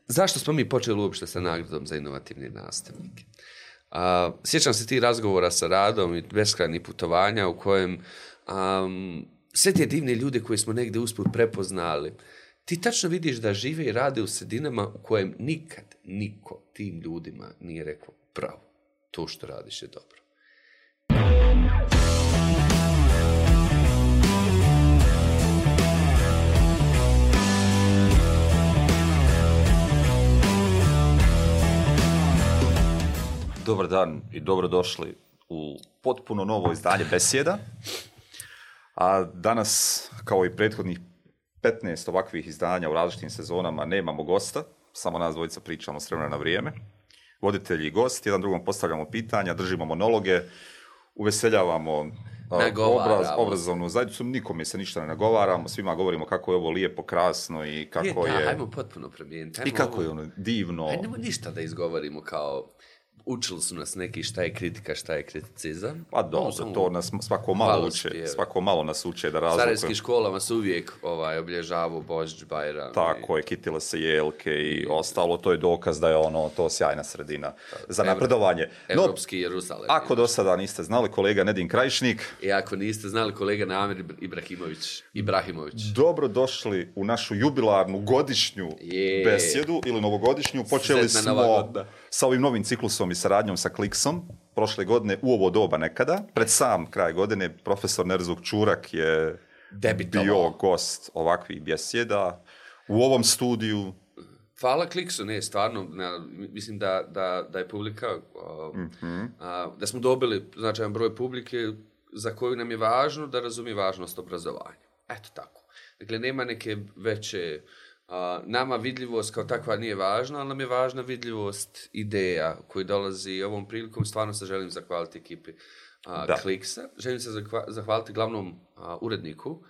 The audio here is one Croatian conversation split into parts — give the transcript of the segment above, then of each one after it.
zašto smo mi počeli uopšte sa nagradom za inovativne nastavnike? Sjećam se tih razgovora sa Radom i beskrajnih putovanja u kojem sve te divne ljude koje smo negdje usput prepoznali, ti tačno vidiš da žive i rade u sredinama u kojem nikad niko tim ljudima nije rekao bravo, to što radiš je dobro. Dobar dan i dobrodošli u potpuno novo izdanje Besjeda. A danas, kao i prethodnih 15 ovakvih izdanja u različitim sezonama, nemamo gosta, samo nas dvojica pričamo s vremena na vrijeme. Voditelji i gost, jedan drugom postavljamo pitanja, držimo monologe, uveseljavamo obrazovnu zajednicu, nikome se ništa ne nagovaramo, svima govorimo kako je ovo lijepo, krasno i kako je... Hajmo potpuno promijeniti. I kako je ono divno. Hajmo ništa da izgovorimo kao... Učili su nas neki šta je kritika, šta je kriticizam. Pa dobro, to nas svako malo nas uče da razlikujemo. U starijskim školama se uvijek obilježavaju Božić, Bajram. Tako je, kitile se jelke i ostalo, to je dokaz da je to sjajna sredina za napredovanje. Evropski Jeruzalem. Ako do sada niste znali, kolega Nedim Krajišnik. I ako niste znali, kolega Namir Ibrahimović. Dobro došli u našu jubilarnu godišnju besjedu ili novogodišnju. Počeli smo sa ovim novim ciklusom i saradnjom sa Kliksom. Prošle godine u ovo doba nekada, pred sam kraj godine, profesor Nerzuk Čurak je bio gost ovakvih besjeda u ovom studiju. Hvala Kliksu, ne, stvarno, mislim da je publika, da smo dobili značajan broj publike za koju nam je važno da razumije važnost obrazovanja. Eto tako. Dakle, nema neke veće... nama vidljivost kao takva nije važna, ali nam je važna vidljivost ideja koji dolazi ovom prilikom. Stvarno se želim zahvaliti ekipi Kliksa. Želim se zahvaliti glavnom uredniku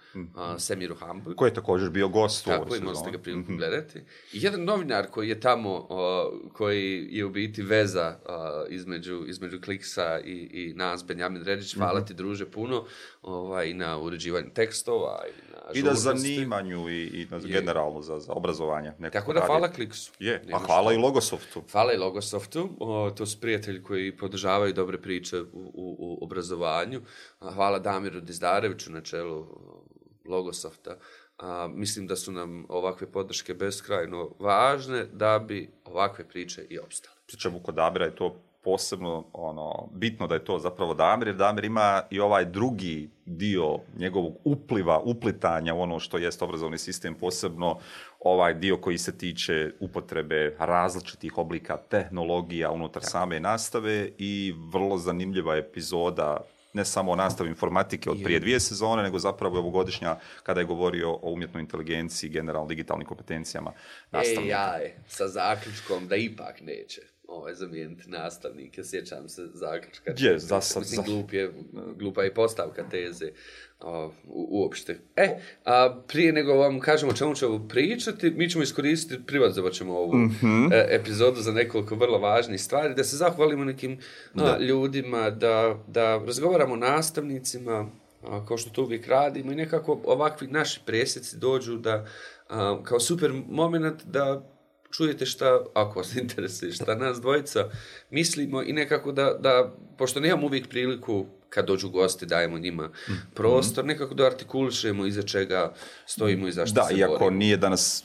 Semiru Hambu. Koji je također bio gost u ovoj sezoni. Tako, imali ste ga priliku gledati. I jedan novinar koji je tamo, koji je u biti veza između Kliksa i nas, Benjamin Redić. Hvala ti, druže, puno i na uređivanju tekstova i na zanimanju i generalno za obrazovanje. Tako da hvala Kliksu. A hvala i Logosoftu. Hvala i Logosoftu. To su prijatelji koji podržavaju dobre priče u obrazovanju. Hvala Damiru Dizdareviću na čelu Logosofta. Mislim da su nam ovakve podrške beskrajno važne da bi ovakve priče i opstale. Pričamo kod Damira je to posebno bitno da je to zapravo Damir, jer Damir ima i ovaj drugi dio njegovog uplitanja u ono što jest obrazovni sistem, posebno ovaj dio koji se tiče upotrebe različitih oblika tehnologija unutar same nastave i vrlo zanimljiva epizoda ne samo o nastavi informatike od prije 2 sezone, nego zapravo ovogodišnja kada je govorio o umjetnoj inteligenciji, generalno digitalnim kompetencijama nastavnika. Sa zaključkom da ipak neće zamijeniti nastavnike, sjećam se zaključka. Glupa je postavka teze uopšte. Prije nego vam kažemo o čemu ćemo pričati, mi ćemo iskoristiti, privatizovat ćemo ovu epizodu za nekoliko vrlo važnih stvari, da se zahvalimo nekim ljudima, da razgovaramo o nastavnicima, kao što to uvijek radimo i nekako ovakvi naši presjeci dođu da kao super moment da čujete šta, ako vas interesuje, šta nas dvojica mislimo i nekako da pošto nemamo uvijek priliku kad dođu gosti, dajemo njima prostor, nekako da artikulišemo iza čega stojimo i zašto se borimo. Da, iako nije danas,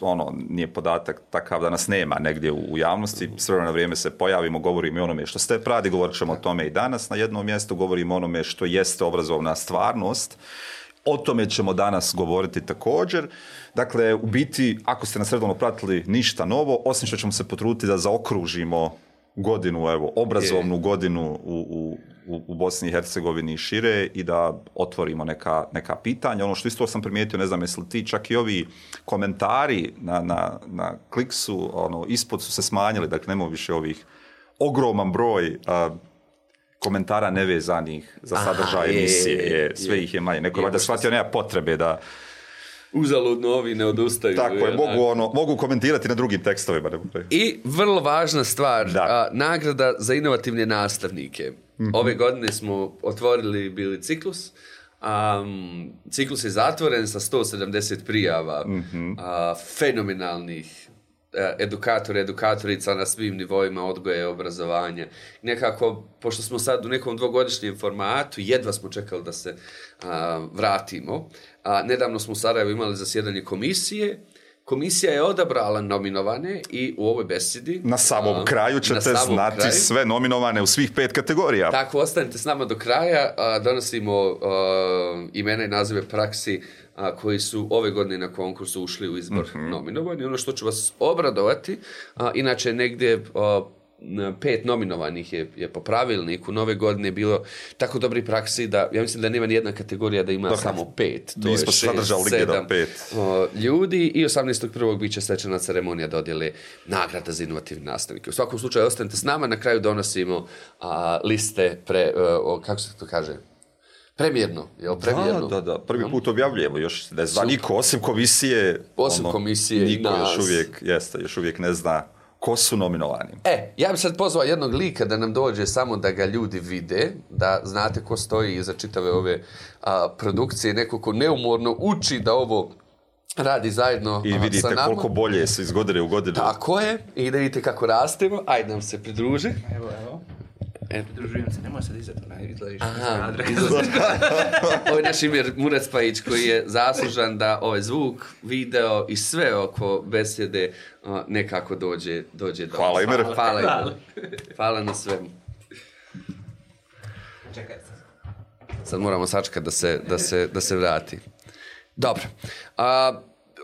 nije podatak takav da nas nema negdje u javnosti, s vremena na vrijeme se pojavimo, govorimo i onome što ste radi, govorit ćemo o tome i danas na jednom mjestu, govorimo o onome što jeste obrazovna stvarnost. O tome ćemo danas govoriti također. Dakle, u biti, ako ste nas redovno pratili, ništa novo, osim što ćemo se potruditi da zaokružimo godinu, obrazovnu godinu u Bosni i Hercegovini i šire i da otvorimo neka pitanja. Ono što isto sam primijetio, ne znam jesi li ti, čak i ovi komentari na Kliksu, ispod su se smanjili, dakle nemamo više ovih ogroman broj komentara nevezanih za sadržaj emisije. Sve ih je manje. Neko je valjda shvatio, nema potrebe da... Uzaludno ovi ne odustaju. Tako je, mogu komentirati na drugim tekstovima. I vrlo važna stvar, nagrada za inovativne nastavnike. Ove godine smo otvorili bili ciklus. Ciklus je zatvoren sa 170 prijava fenomenalnih edukatorica na svim nivoima odgoja i obrazovanja. Nekako, pošto smo sad u nekom dvogodišnjem formatu, jedva smo čekali da se vratimo. Nedavno smo u Sarajevu imali zasjedanje komisije. Komisija je odabrala nominovane i u ovoj besedi... Na samom kraju ćete znati sve nominovane u svih 5 kategorija. Tako, ostanite s nama do kraja. Donosimo imena i nazive praksi koji su ove godine na konkursu ušli u izbor nominovani. Ono što ću vas obradovati, inače negdje 5 nominovanih je po pravilniku. Nove godine bilo tako dobri praksi da, ja mislim da nema nijedna kategorija da ima samo 5. To je 6, 7 ljudi i 18.1. bit će svečana ceremonija dodjele nagrada za inovativne nastavnike. U svakom slučaju, ostanite s nama, na kraju donosimo liste kako se to kaže? Premijerno, jel? Premijerno. Da. Prvi put objavljujemo, još ne zna niko, osim komisije. Komisije niko i nas. Još uvijek ne zna ko su nominovani. Ja bih sad pozvao jednog lika da nam dođe samo da ga ljudi vide, da znate ko stoji iza čitave ove produkcije, neko ko neumorno uči da ovo radi zajedno i vidite sa nama. Koliko bolje se iz godine u godinu. Tako je, i da vidite kako rastemo. Ajde nam se pridruži. Evo. Pridružujem se, nemoj sad izaći. Ovo je naš Imir Murat-Spajić koji je zaslužan da ovaj zvuk, video i sve oko besjede nekako dođe do Hvala Imir. Hvala na svemu. Čekaj. Sad moramo sačekati da se vrati. Dobro.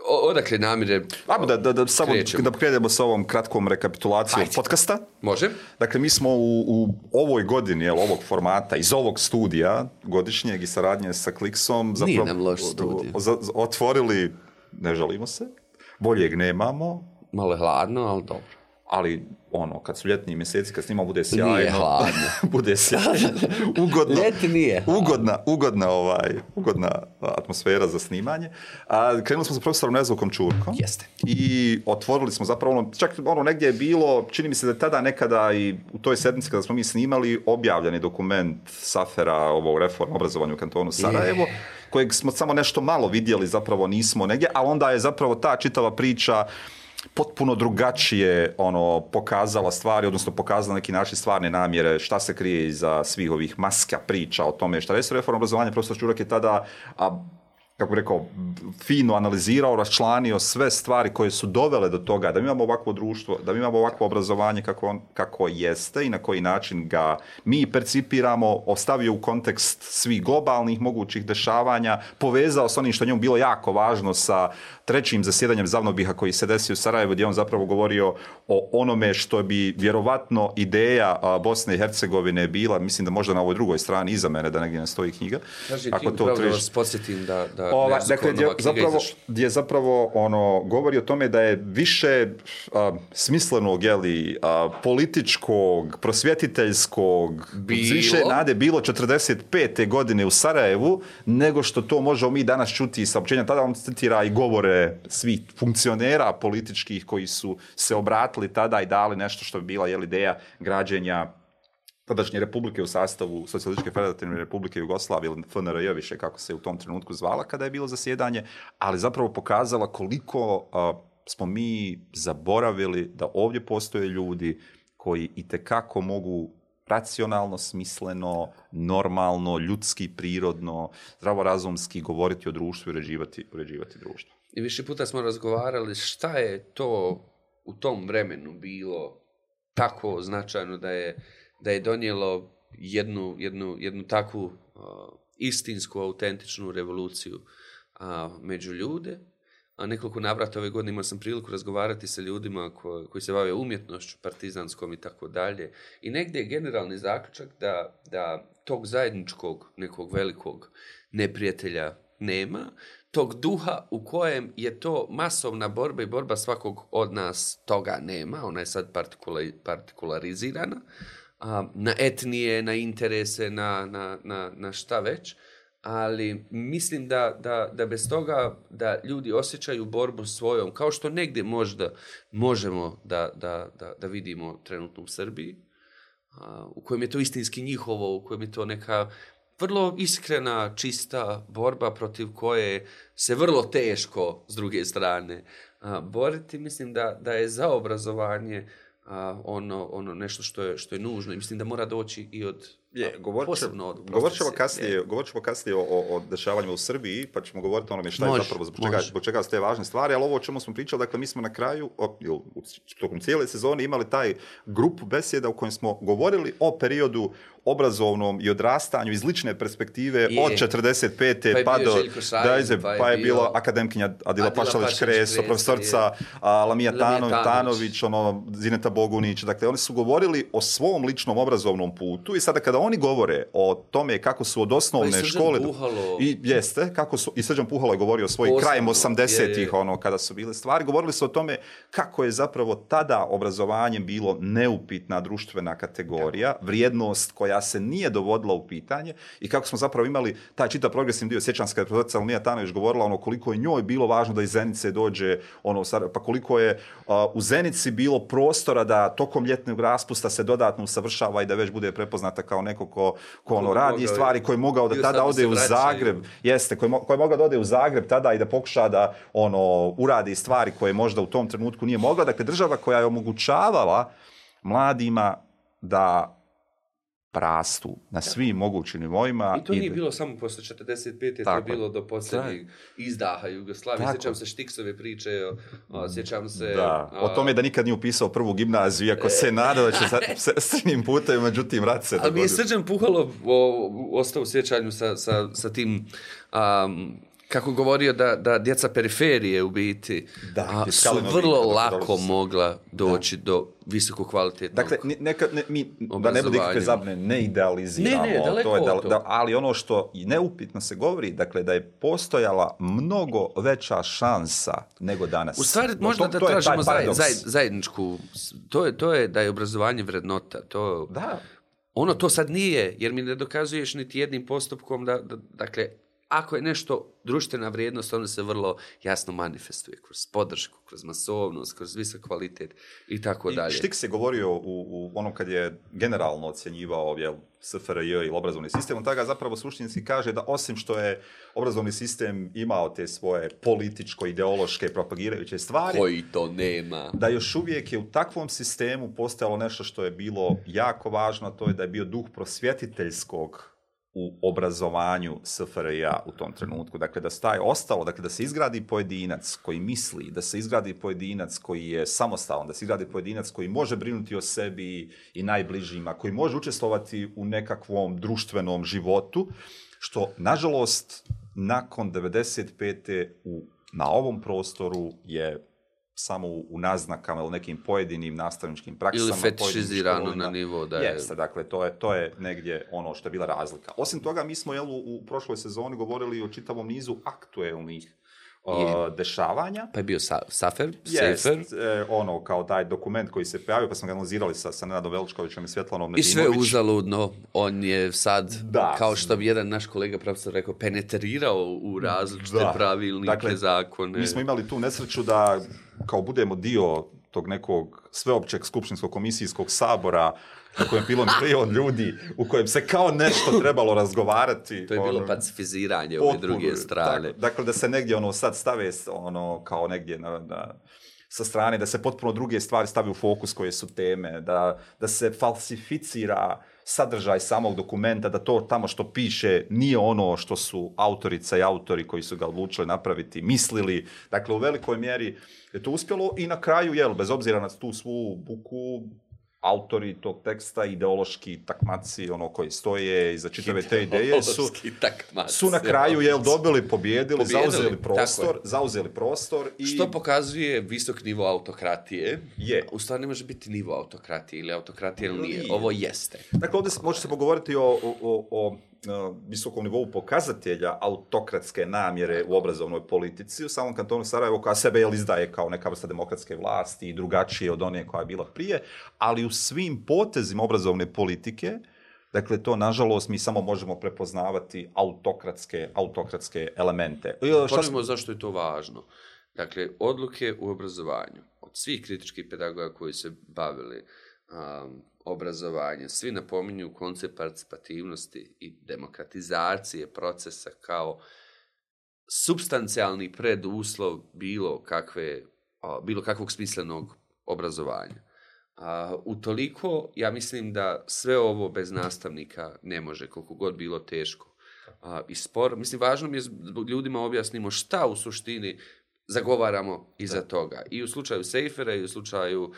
Odakle namire samo da krenemo sa ovom kratkom rekapitulacijom podcasta. Može. Dakle, mi smo u ovoj godini, ovog formata, iz ovog studija godišnjeg i saradnje sa Kliksom nije nam loš studij. Otvorili, ne žalimo se, boljeg nemamo. Malo je hladno, ali dobro. Ali kad su ljetni mjeseci, kad snima bude sjajno. Nije hladno. Bude sjajno. Ugodno. Ljeti nije. Ugodna atmosfera za snimanje. Krenuli smo sa profesorom Nezvukom Čurkom. Jeste. I otvorili smo zapravo čak negdje je bilo, čini mi se da je tada nekada i u toj sedmici kada smo mi snimali objavljeni dokument SAFER-a, ovo reforma obrazovanja u kantonu Sarajevo, kojeg smo samo nešto malo vidjeli, zapravo nismo negdje, ali onda je zapravo ta čitava priča potpuno drugačije pokazala stvari, odnosno pokazala neki način stvarne namjere, šta se krije iza svih ovih maska priča o tome šta je reforma obrazovanja. Profesor Čurak je tada, kako bih rekao, fino analizirao, raščlanio sve stvari koje su dovele do toga da mi imamo ovakvo društvo, da mi imamo ovakvo obrazovanje kako jeste i na koji način ga mi percipiramo, ostavio u kontekst svih globalnih mogućih dešavanja, povezao s onim što njemu bilo jako važno sa trećim zasjedanjem Zavnobiha koji se desio u Sarajevu, gdje on zapravo govorio o onome što bi vjerovatno ideja Bosne i Hercegovine bila, mislim da možda na ovoj drugoj strani iza mene, da negdje ne stoji knjiga. Ako to vas podsjetim da dakle, gdje zapravo govori o tome da je više smislenog, političkog, prosvjetiteljskog, više nade bilo 45. godine u Sarajevu, nego što to možemo mi danas čuti iz saopćenja. Tada on citira i govore svih funkcionera političkih koji su se obratili tada i dali nešto što bi bila ideja građenja tadašnje republike u sastavu Socijalističke federativne republike Jugoslavije ili FNRJ više kako se u tom trenutku zvala kada je bilo zasjedanje, ali zapravo pokazala koliko smo mi zaboravili da ovdje postoje ljudi koji itekako mogu racionalno, smisleno, normalno, ljudski, prirodno, zdravorazumski govoriti o društvu i uređivati društvo. I više puta smo razgovarali šta je to u tom vremenu bilo tako značajno da je donijelo jednu takvu istinsku, autentičnu revoluciju među ljude. Nekoliko navrata ove godine imao sam priliku razgovarati sa ljudima koji se bave umjetnošću, partizanskom i tako dalje. I negdje je generalni zaključak da tog zajedničkog nekog velikog neprijatelja nema, tog duha u kojem je to masovna borba i borba svakog od nas, toga nema. Ona je sad partikularizirana na etnije, na interese, na šta već. Ali mislim da bez toga da ljudi osjećaju borbu svojom, kao što negdje možda možemo da vidimo trenutno u Srbiji, u kojem je to istinski njihovo, u kojem je to neka vrlo iskrena, čista borba protiv koje se vrlo teško, s druge strane, boriti. Mislim da je za obrazovanje ono nešto što je nužno i mislim da mora doći i od posebno od govorit ćemo kasnije o dešavanjima u Srbiji, pa ćemo govoriti o onome šta je zapravo zbog čega su te važne stvari, ali ovo o čemu smo pričali, dakle mi smo na kraju, tokom cijele sezone imali taj grup besjeda u kojem smo govorili o periodu obrazovnom i odrastanju iz lične perspektive od 45. pa do Dajze, pa je bilo akademkinja Adila Pašalić-Kreso, profesorica Lamija Tanović, Zineta Bogunić, dakle oni su govorili o svom ličnom obrazovnom putu i sada kada oni govore o tome kako su od osnovne škole i Srđan Puhalo je govorio o svojim krajem 80-ih kada su bile stvari, govorili su o tome kako je zapravo tada obrazovanje bilo neupitna društvena kategorija, vrijednost koja se nije dovodila u pitanje i kako smo zapravo imali taj čitav progresivni dio. Sjećam se kada je profesorica Lamija Tanović govorila koliko je njoj bilo važno da iz Zenice dođe pa koliko je u Zenici bilo prostora da tokom ljetnog raspusta se dodatno usavršava i da već bude prepoznata kao neko ko radi stvari, koji je mogao da tada ode u Zagreb, koji je mogao da ode u Zagreb tada i da pokuša da uradi stvari koje možda u tom trenutku nije mogla. Dakle, država koja je omogućavala mladima da rastu na svim mogućim nivoima. I to nije bilo samo posle 45. To je bilo do posljednjeg izdaha Jugoslavije. Sjećam se Štiksove priče, sjećam se... o tome da nikad nije upisao prvu gimnaziju, iako se nada da će srednjim putem, međutim, rat se dogodio. Ali mi je Srđan Puhalo ostao u sjećanju sa tim... kako govorio da djeca periferije u biti su vrlo lako mogla doći do visoko kvalitetnog da ne bude ikakve zabune, ne idealiziramo. Ali ono što neupitno se govori, dakle, da je postojala mnogo veća šansa nego danas. U stvari, možda da tražimo zajedničku, to je da je obrazovanje vrednota. To sad nije, jer mi ne dokazuješ niti jednim postupkom dakle, ako je nešto društvena vrijednost, onda se vrlo jasno manifestuje kroz podršku, kroz masovnost, kroz visok kvalitet i tako dalje. Štik se govorio u onom kad je generalno ocjenjivao SFRJ ili obrazovni sistem, on tada zapravo suštinski kaže da osim što je obrazovni sistem imao te svoje političko-ideološke propagirajuće stvari, koji to nema, da još uvijek je u takvom sistemu postojalo nešto što je bilo jako važno, to je da je bio duh prosvjetiteljskog u obrazovanju SFRJ-a u tom trenutku. Dakle, da se izgradi pojedinac koji misli, da se izgradi pojedinac koji je samostalan, da se izgradi pojedinac koji može brinuti o sebi i najbližima, koji može učestvovati u nekakvom društvenom životu, što, nažalost, nakon 95. na ovom prostoru je samo u naznakama ili nekim pojedinim nastavničkim praksama. Ili fetišizirano na nivo da je... Jeste, dakle, to je negdje ono što je bila razlika. Osim toga, mi smo u prošloj sezoni govorili o čitavom nizu aktuelnih dešavanja. Pa je bio Safer. Kao taj dokument koji se pojavio, pa smo ga analizirali sa Nenadom Veličkovićem i Svjetlanom Nedimović. I sve uzaludno, on je sad, kao što bi jedan naš kolega profesor rekao, penetrirao u različite pravilnike, zakone. Mi smo imali tu nesreću da kao budemo dio tog nekog sveopćeg skupštinskog komisijskog sabora na kojem je bilo milion ljudi, u kojem se kao nešto trebalo razgovarati. To je bilo pacifiziranje ove druge strane. Dakle, da se negdje sad stave kao negdje sa strane, da se potpuno druge stvari stavi u fokus koje su teme, da se falsificira sadržaj samog dokumenta, da to tamo što piše nije ono što su autorica i autori koji su ga odlučili napraviti mislili. Dakle, u velikoj mjeri je to uspjelo i na kraju, bez obzira na tu svu buku, autori tog teksta, ideološki takmaci, koji stoje iza čitave te ideje su na kraju pobijedili, zauzeli prostor. Što pokazuje visok nivo autokratije. U stvari ne može biti nivo autokratije ili autokratije ili nije. Ovo jeste. Dakle, ovdje može se pogovoriti o visokom nivou pokazatelja autokratske namjere u obrazovnoj politici u samom kantonu Sarajevo, koja sebe izdaje kao neka vrsta demokratske vlasti i drugačije od one koja je bila prije, ali u svim potezima obrazovne politike, dakle, to, nažalost, mi samo možemo prepoznavati autokratske elemente. Počnemo zašto je to važno. Dakle, odluke u obrazovanju od svih kritičkih pedagoga koji se bavili obrazovanja. Svi napominju koncept participativnosti i demokratizacije procesa kao supstancijalni preduslov bilo kakvog smislenog obrazovanja. Utoliko, ja mislim da sve ovo bez nastavnika ne može, koliko god bilo teško i spor. Mislim, važno mi je ljudima objasnimo šta u suštini zagovaramo iza toga. I u slučaju Sejfera, i u slučaju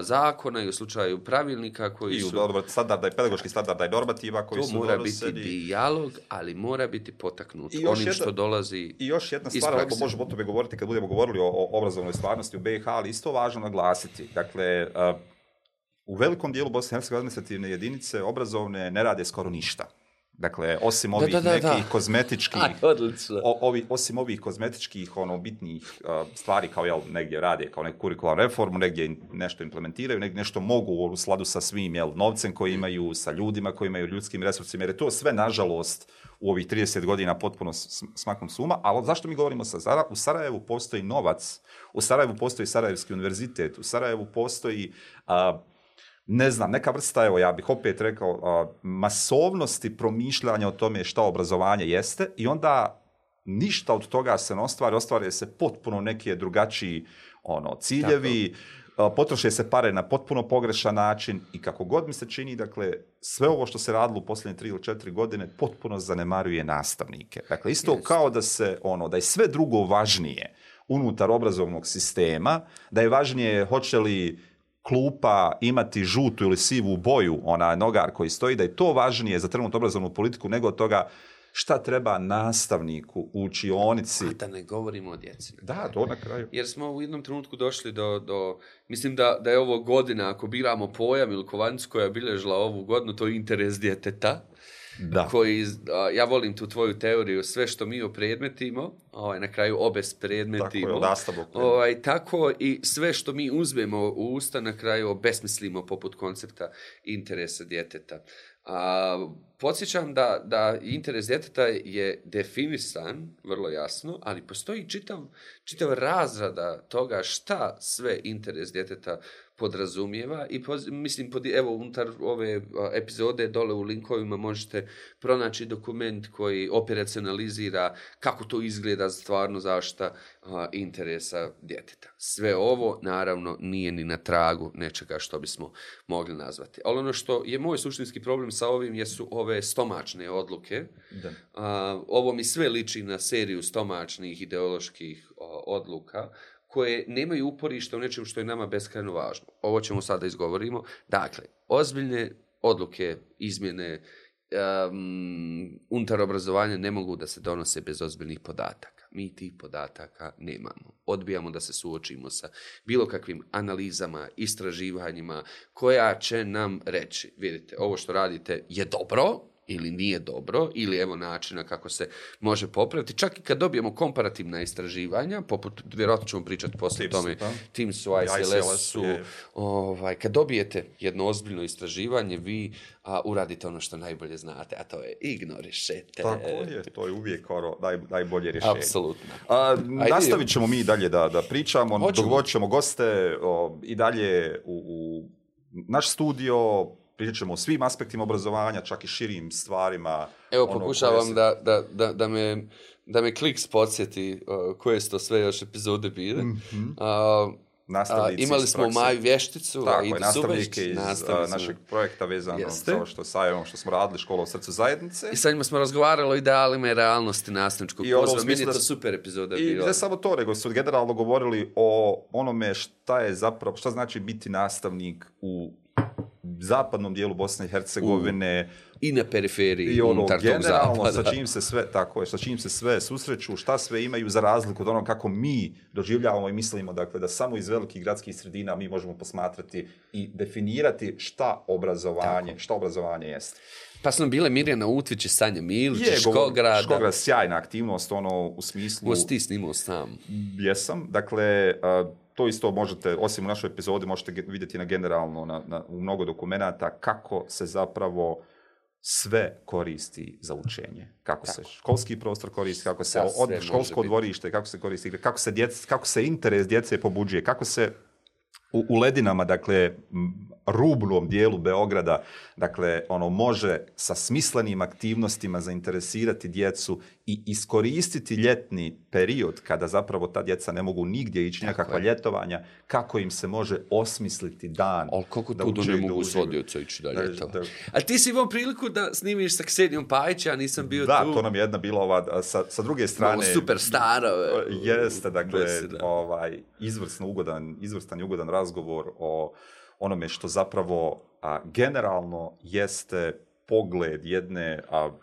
zakona, i u slučaju pravilnika koji su... I u standarda i pedagoških standarda i normativa koji su donoseni. To mora biti dijalog, ali mora biti potaknut onim što dolazi. I još jedna stvar, ako možemo o tome govoriti kad budemo govorili o obrazovnoj stvarnosti u BiH, ali isto važno naglasiti. Dakle, u velikom dijelu Bosne i Hercegovine administrativne jedinice obrazovne ne rade skoro ništa. Dakle, osim ovih nekih kozmetičkih, osim ovih kozmetičkih, bitnih stvari kao negdje rade, kao neku kurikularnu reformu, negdje nešto implementiraju, negdje nešto mogu u skladu sa svim novcem koji imaju, sa ljudima koji imaju, ljudskim resursima, jer je to sve, nažalost, u ovih 30 godina potpuno smaknut s uma. Ali zašto mi govorimo u Sarajevu postoji novac, u Sarajevu postoji Sarajevski univerzitet, u Sarajevu postoji... ne znam, neka vrsta, evo ja bih opet rekao, masovnosti promišljanja o tome šta obrazovanje jeste i onda ništa od toga se ne ostvari se potpuno neki drugačiji ciljevi, potroše se pare na potpuno pogrešan način i kako god mi se čini, dakle, sve ovo što se radilo u posljednje 3 ili 4 godine potpuno zanemaruje nastavnike. Dakle, isto kao da se, da je sve drugo važnije unutar obrazovnog sistema, da je važnije hoće li klupa imati žutu ili sivu boju, nogar koji stoji, da je to važnije za trenutnu obrazovnu politiku nego od toga šta treba nastavniku u učionici. A da ne govorimo o djeci. Da, to na kraju. Jer smo u jednom trenutku došli do mislim da je ovo godina, ako biramo pojam ili kovanicu koja je bilježila ovu godinu, to je interes djeteta. Da. Ja volim tu tvoju teoriju, sve što mi opredmetimo, na kraju obespredmetimo. Tako i sve što mi uzmemo u usta, na kraju obesmislimo poput koncepta interesa djeteta. Podsjećam da interes djeteta je definisan vrlo jasno, ali postoji čitav razrada toga šta sve interes djeteta podrazumijeva i mislim, evo, unutar ove epizode dole u linkovima možete pronaći dokument koji operacionalizira kako to izgleda stvarno zaštita interesa djeteta. Sve ovo, naravno, nije ni na tragu nečega što bismo mogli nazvati. Ali ono što je moj suštinski problem sa ovim jesu ove stomačne odluke. Ovo mi sve liči na seriju stomačnih ideoloških odluka koje nemaju uporište u nečem što je nama beskrajno važno. Ovo ćemo sada izgovorimo. Dakle, ozbiljne odluke, izmjene unutar obrazovanja ne mogu da se donose bez ozbiljnih podataka. Mi tih podataka nemamo. Odbijamo da se suočimo sa bilo kakvim analizama, istraživanjima koja će nam reći, vidite, ovo što radite je dobro, ili nije dobro, ili evo načina kako se može popraviti. Čak i kad dobijemo komparativna istraživanja, poput, vjerojatno ćemo pričati poslije tome, TIMSS-u, ICLS-u, kad dobijete jedno ozbiljno istraživanje, vi uradite ono što najbolje znate, a to je ignorišete. Tako je, to je uvijek najbolje rješenje. Apsolutno. Nastavit ćemo mi dalje da pričamo, dogovorit ćemo goste i dalje u naš studio. Pričat ćemo o svim aspektima obrazovanja, čak i širim stvarima. Evo, pokušavam da me Kliks podsjeti koje su to sve još epizode bile. Imali smo Maju Vješticu, i nastavnike iz našeg projekta vezano za ovo što smo radili, Škola u srcu zajednice. I sa njima smo razgovarali o idealima i realnosti nastavničkog posla. Meni je to super epizoda bila. I ne samo to, nego su generalno govorili o onome šta znači biti nastavnik u zapadnom dijelu Bosne i Hercegovine i na periferiji unutar tog zapada. Sa čim se sve susreću, šta sve imaju za razliku od onog kako mi doživljavamo i mislimo, dakle, da samo iz velikih gradskih sredina mi možemo posmatrati i definirati šta obrazovanje jeste. Pa su nam bile Mirjana Utvić i Sanja Milić, Škograda. Škograd, sjajna aktivnost, u smislu... Možeš ti snimao sam. Jesam, dakle... To isto možete, osim u našoj epizodi, možete vidjeti generalno u mnogo dokumenata kako se zapravo sve koristi za učenje. Kako se školski prostor koristi, kako se školsko dvorište, kako se koristi, kako se interes djece pobuđuje, kako se u ledinama, dakle, rubnom dijelu Beograda, dakle, može sa smislenim aktivnostima zainteresirati djecu i iskoristiti ljetni period kada zapravo ta djeca ne mogu nigdje ići, nekakva ljetovanja, kako im se može osmisliti dan. Ali kako tu ne mogu s odjeca ići da ljetova? A ti si imao priliku da snimiš sa Ksenijom Pajić, ja nisam bio tu. Da, to nam je jedna bila ova, sa druge strane... Malo super stara. Jeste, dakle, izvrstan i ugodan razgovor o onome što zapravo generalno jeste pogled jedne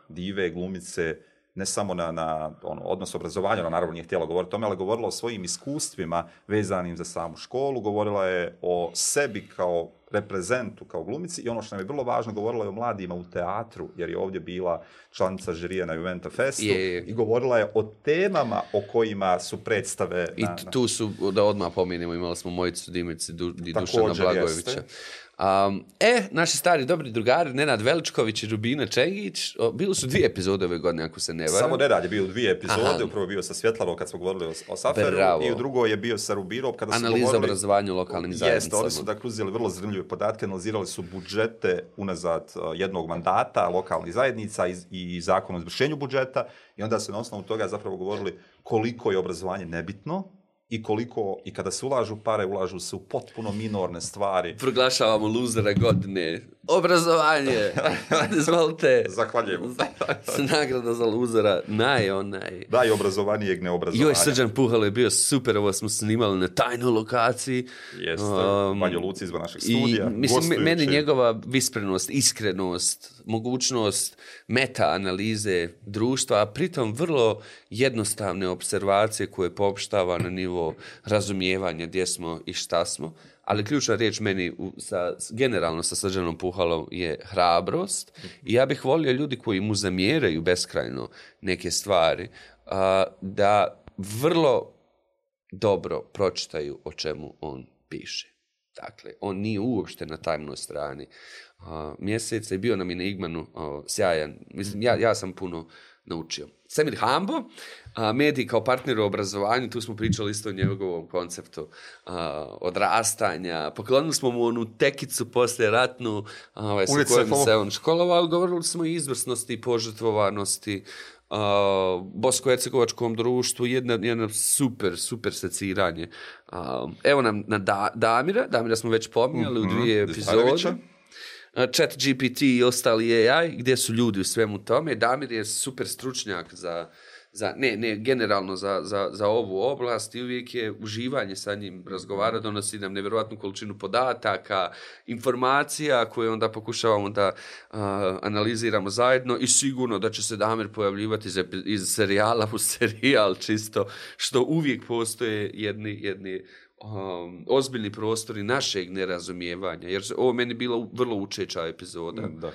dive glumice, ne samo na odnos obrazovanja, ona naravno nije htjela govoriti o tome, ali govorila o svojim iskustvima vezanim za samu školu, govorila je o sebi kao reprezentu, kao glumici i ono što nam je vrlo važno, govorila je o mladima u teatru, jer je ovdje bila članica žirija na Juventa Festu i govorila je o temama o kojima su predstave. I tu su, da odmah pomenemo, imali smo Mojicu Dimici i Dušana Blagojevića. Naši stari dobri drugari, Nenad Veličković i Rubina Čengić, bili su 2 epizode ove godine, ako se ne varam. Samo Nenad je bio u 2 epizode, upravo je bio sa Svjetlavom kad smo govorili o Saferu i u drugoj je bio sa Rubinom kada su govorili... Analiza obrazovanja u lokalnim zajednicama. Jeste, oni su dakle uzeli vrlo zanimljive podatke, analizirali su budžete unazad jednog mandata lokalnih zajednica i zakon o izvršenju budžeta i onda su na osnovu toga zapravo govorili koliko je obrazovanje nebitno, i kada se ulažu pare, ulažu se u potpuno minorne stvari. Proglašavamo luzera godine. Obrazovanje! Izvolite! Zahvaljujemo. Nagrada za luzera, Da, i obrazovanijeg neobrazovanja. Joj, Srđan Puhalo je bio super, ovo smo snimali na tajnoj lokaciji. Jeste, Banjo Luci izvan našeg studija. Mislim, meni njegova visprenost, iskrenost, mogućnost meta-analize društva, a pritom vrlo jednostavne observacije koje poopštava na nivo razumijevanja gdje smo i šta smo. Ali ključna riječ meni generalno sa Srđanom Puhalom je hrabrost i ja bih volio ljudi koji mu zamjeraju beskrajno neke stvari da vrlo dobro pročitaju o čemu on piše. Dakle, on nije uopšte na tamnoj strani mjeseca i bio nam i na Igmanu sjajan. Mislim, ja sam puno naučio. Semir Hambo, mediji kao partner u obrazovanju, tu smo pričali isto o njegovom konceptu odrastanja. Poklonili smo mu onu tekicu poslijeratnu sa kojom se on školovao, govorili smo o izvrsnosti i požrtvovanosti bosko-hercegovačkom društvu, jedno super seciranje. Evo nam na Damira smo već pominjali u 2 epizode. ChatGPT i ostali AI, gdje su ljudi u svemu tome. Damir je super stručnjak generalno za ovu oblast i uvijek je uživanje sa njim razgovara, donosi nam nevjerojatnu količinu podataka, informacija koje onda pokušavamo da analiziramo zajedno i sigurno da će se Damir pojavljivati iz serijala u serijal čisto, što uvijek postoje jedni ozbiljni prostori našeg nerazumijevanja, jer ovo meni bila vrlo učeča epizoda. Da.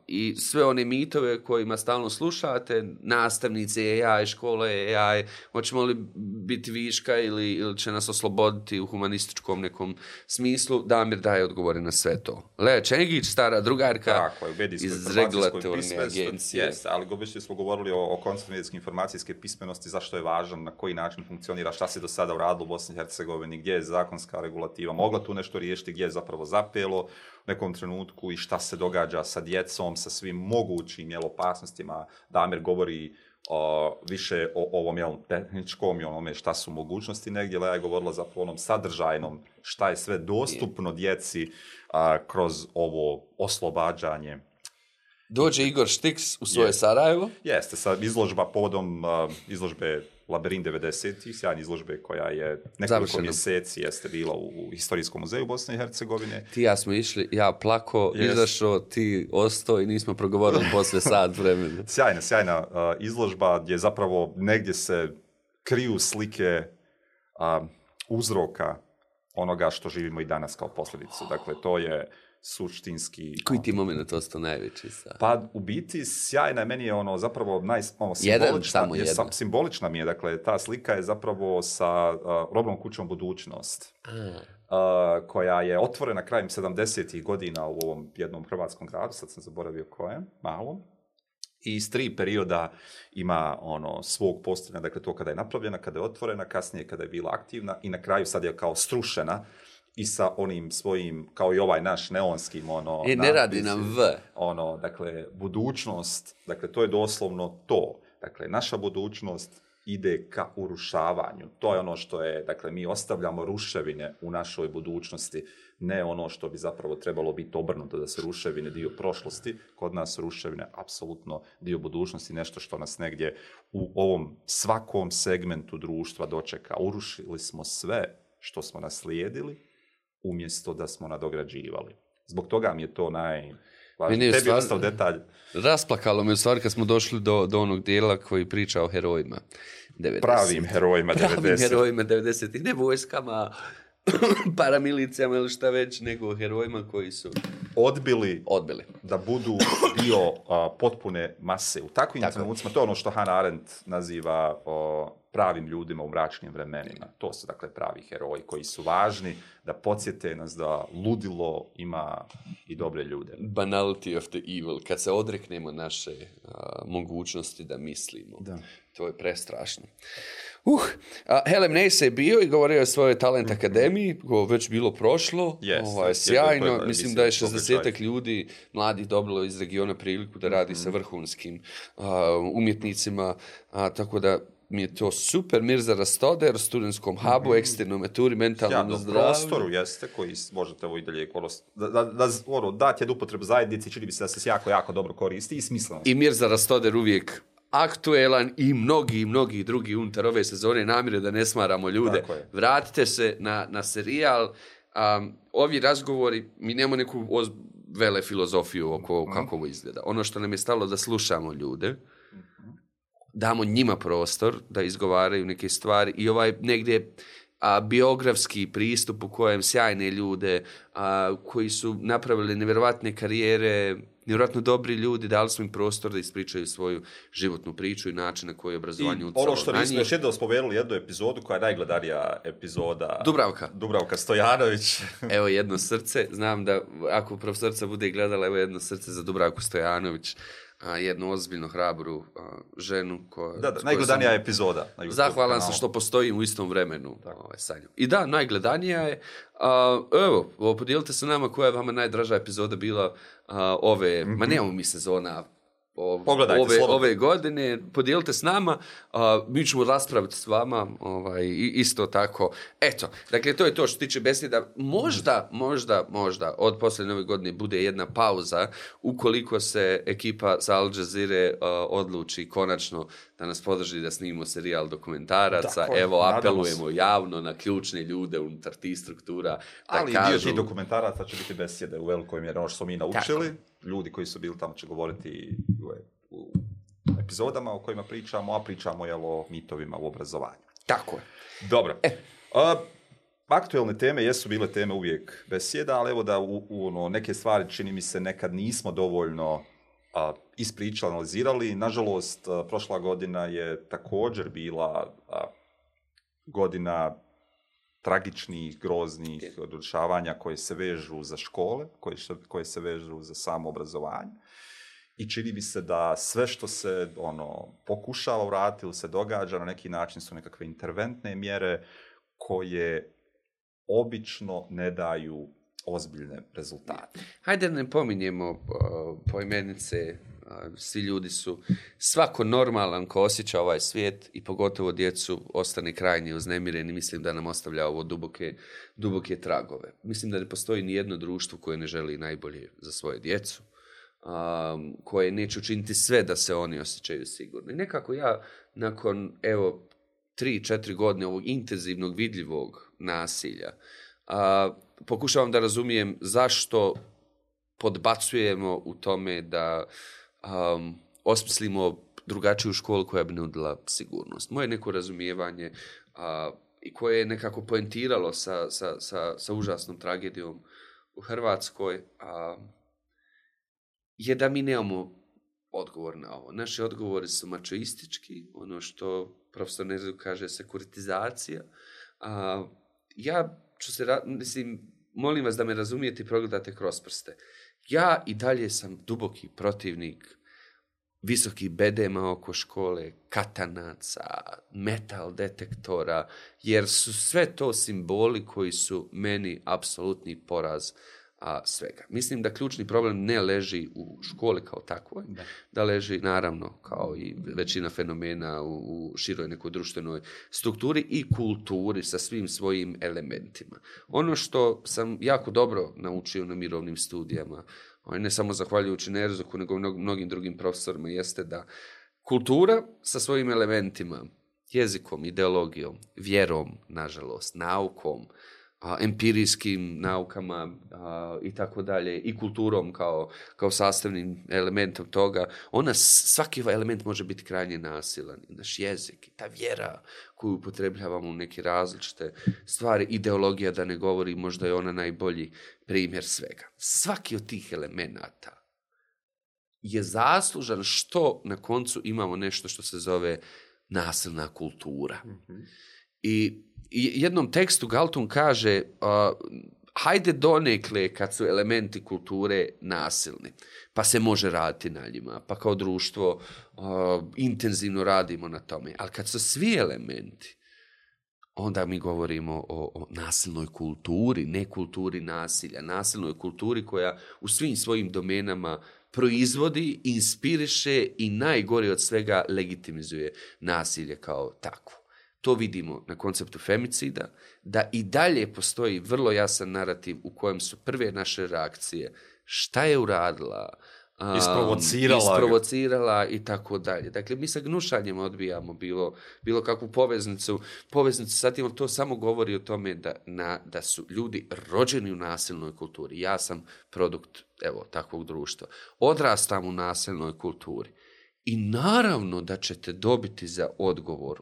I sve one mitove kojima stalno slušate, nastavnici AI, škole AI, hoćemo li biti viška ili će nas osloboditi u humanističkom nekom smislu, Damir daje odgovore na sve to. Lea Čengić, stara drugarka iz regulatorne agencije. Yes, ali obično smo govorili o konceptu medijske informacijske pismenosti, zašto je važan, na koji način funkcionira, šta se do sada uradilo u Bosni i Hercegovini, gdje je zakonska regulativa mogla tu nešto riješiti, gdje je zapravo zapelo u nekom trenutku i šta se događa sa djecom, sa svim mogućim opasnostima. Damir govori više o ovom tehničkom i onome šta su mogućnosti negdje, Lea je govorila zapravo onom sadržajnom šta je sve dostupno djeci kroz ovo oslobađanje. Dođe Igor Štiks u svoje Sarajevo. Jeste, sa izložba povodom izložbe Labirin 90-ih, sjajna izložbe koja je nekoliko mjeseci jeste bila u Historijskom muzeju Bosne i Hercegovine. Ti ja smo išli, ja plako, izašao, ti ostao i nismo progovorili posle sat vremena. Sjajna izložba gdje zapravo negdje se kriju slike uzroka onoga što živimo i danas kao posljedicu. Dakle, to je suštinski... Koji ti moment ostao najveći? Pa u biti sjajna je, meni je zapravo simbolična mi je, dakle ta slika je zapravo sa robnom kućom Budućnost, koja je otvorena krajem 70-ih godina u ovom jednom hrvatskom gradu, sad sam zaboravio kojem, malom. I iz 3 perioda ima svog postojanja, dakle to kada je napravljena, kada je otvorena, kasnije kada je bila aktivna i na kraju sad je kao strušena i sa onim svojim, kao i ovaj naš neonskim, ne radi nam V. Dakle, budućnost, dakle, to je doslovno to. Dakle, naša budućnost ide ka urušavanju. To je ono što je, dakle, mi ostavljamo ruševine u našoj budućnosti, ne ono što bi zapravo trebalo biti obrnuto, da se ruševine dio prošlosti, kod nas ruševine apsolutno dio budućnosti, nešto što nas negdje u ovom svakom segmentu društva dočeka. Urušili smo sve što smo naslijedili, umjesto da smo nadograđivali. Zbog toga mi je to najvažnije. Tebi je ostao detalj. Rasplakalo me u stvari kad smo došli do onog dijela koji priča o herojima. 90. Pravim herojima 90. Pravim herojima 90. Ne vojskama, paramilicijama ili šta već, nego herojima koji su odbili da budu dio potpune mase. U takvim trenucima, to je ono što Hannah Arendt naziva pravim ljudima u mračnim vremenima. To su, dakle, pravi heroji koji su važni da podsjete nas da ludilo ima i dobre ljude. Banality of the evil. Kad se odreknemo naše mogućnosti da mislimo. Da. To je prestrašno. Helen Nace je bio i govorio o svojoj Talent Akademiji, već bilo prošlo, sjajno, mislim da je 60 ljudi mladih dobilo iz regiona priliku da radi sa vrhunskim umjetnicima, tako da mi je to super. Mirza Rastoder, studentskom hubu, eksternom meturi, mentalnom zdravlju. Prostoru jeste koji možete ovo i dalje dati jednu upotrebu zajednici, čini bi se da se jako, jako dobro koristi i smisleno. I Mirza Rastoder uvijek aktuelan i mnogi drugi unutar ove sezone, namjere da ne smaramo ljude. Vratite se na serijal. Ovi razgovori, mi nemamo neku vele filozofiju oko kako ovo izgleda. Ono što nam je stalo da slušamo ljude, damo njima prostor da izgovaraju neke stvari i ovaj negdje biografski pristup u kojem sjajne ljude koji su napravili nevjerovatne karijere, nevjerojatno dobri ljudi, dali su im prostor da ispričaju svoju životnu priču i način na koji je obrazovanje utjecalo. Ono što nismo još jednom spomenuli, jednu epizodu koja je najgledanija epizoda. Dubravka Stojanović. Evo jedno srce. Znam da ako profesorica bude gledala, evo jedno srce za Dubravku Stojanović. Jednu ozbiljno hrabru ženu. Najgledanija epizoda. Zahvalan sam što postojim u istom vremenu sa njom. I da, najgledanija je. Evo, podijelite se nama koja je vama najdraža epizoda bila ove, ma nemamo mi sezona ove godine, podijelite s nama, mi ćemo raspraviti s vama isto tako. Eto, dakle, to je to što tiče besjeda. Možda od poslije nove godine bude jedna pauza ukoliko se ekipa sa Al Jazeere odluči konačno da nas podrži da snimimo serijal dokumentaraca. Evo, apelujemo javno na ključne ljude unutar tih struktura. Ali dio tih dokumentaraca će biti besjede u velikoj mjeri, ono što smo mi naučili. Tako. Ljudi koji su bili tamo će govoriti u epizodama o kojima pričamo, a pričamo o mitovima u obrazovanju. Tako je. Dobro. Aktualne teme jesu bile teme uvijek besjeda, ali evo da neke stvari čini mi se nekad nismo dovoljno ispričali, analizirali. Nažalost, prošla godina je također bila godina tragičnih, groznih dešavanja koje se vežu za škole, koje se vežu za samo obrazovanje. I čini mi se da sve što se pokušava vratiti ili se događa na neki način su nekakve interventne mjere koje obično ne daju ozbiljne rezultate. Hajde ne pominjemo poimenice, svi ljudi su, svako normalan ko osjeća ovaj svijet i pogotovo djecu ostane krajnje uznemireni, mislim da nam ostavlja ovo duboke tragove. Mislim da ne postoji ni jedno društvo koje ne želi najbolje za svoje djecu, koje neće učiniti sve da se oni osjećaju sigurni. Nekako ja nakon 3-4 godine ovog intenzivnog vidljivog nasilja pokušavam da razumijem zašto podbacujemo u tome da osmislimo drugačiju školu koja bi nudila sigurnost. Moje neko razumijevanje i koje je nekako poentiralo sa užasnom tragedijom u Hrvatskoj je da mi nemamo odgovor na ovo. Naši odgovori su mačoistički, ono što profesor Nezu kaže sekuritizacija. Ja ću molim vas da me razumijete i progledate kroz prste. Ja i dalje sam duboki protivnik visokih bedema oko škole, katanaca, metal detektora, jer su sve to simboli koji su meni apsolutni poraz svega. Mislim da ključni problem ne leži u školi kao takvoj, da leži naravno kao i većina fenomena u široj nekoj društvenoj strukturi i kulturi sa svim svojim elementima. Ono što sam jako dobro naučio na mirovnim studijama, ne samo zahvaljujući Nerzuku, nego mnogim drugim profesorima, jeste da kultura sa svojim elementima, jezikom, ideologijom, vjerom, nažalost, naukom, empirijskim naukama i tako dalje, i kulturom kao sastavnim elementom toga, svaki element može biti krajnje nasilan. I naš jezik, i ta vjera koju upotrebljavamo u neke različite stvari, ideologija, da ne govori, možda je ona najbolji primjer svega. Svaki od tih elemenata je zaslužan što na koncu imamo nešto što se zove nasilna kultura. I jednom tekstu Galton kaže hajde donekle kad su elementi kulture nasilni, pa se može raditi na njima, pa kao društvo intenzivno radimo na tome. Ali kad su svi elementi, onda mi govorimo o nasilnoj kulturi, ne kulturi nasilja, nasilnoj kulturi koja u svim svojim domenama proizvodi, inspiriše i najgore od svega legitimizuje nasilje kao takvo. To vidimo na konceptu femicida, da i dalje postoji vrlo jasan narativ u kojem su prve naše reakcije šta je uradila, isprovocirala i tako dalje. Dakle, mi sa gnušanjem odbijamo bilo kakvu poveznicu sa tim, to samo govori o tome da su ljudi rođeni u nasilnoj kulturi. Ja sam produkt takvog društva. Odrastam u nasilnoj kulturi. I naravno da ćete dobiti za odgovor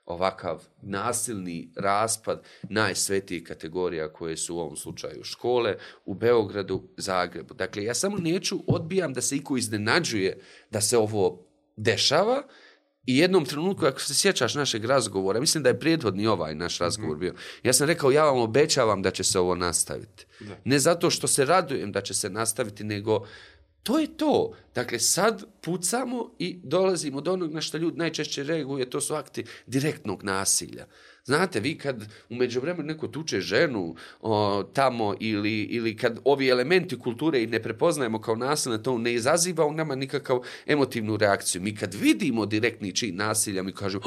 ovakav nasilni raspad najsvetijih kategorija koje su u ovom slučaju škole u Beogradu, Zagrebu. Dakle, ja samo odbijam da se iko iznenađuje da se ovo dešava i jednom trenutku, ako se sjećaš našeg razgovora, mislim da je prethodni ovaj naš razgovor bio, ja sam rekao, ja vam obećavam da će se ovo nastaviti. Da. Ne zato što se radujem da će se nastaviti, nego to je to. Dakle, sad pucamo i dolazimo do onog na što ljudi najčešće reaguje, to su akti direktnog nasilja. Znate, vi kad u međuvremenu neko tuče ženu tamo ili kad ovi elementi kulture i ne prepoznajemo kao nasilne, to ne izaziva u nama nikakav emotivnu reakciju. Mi kad vidimo direktni čin nasilja, mi kažemo,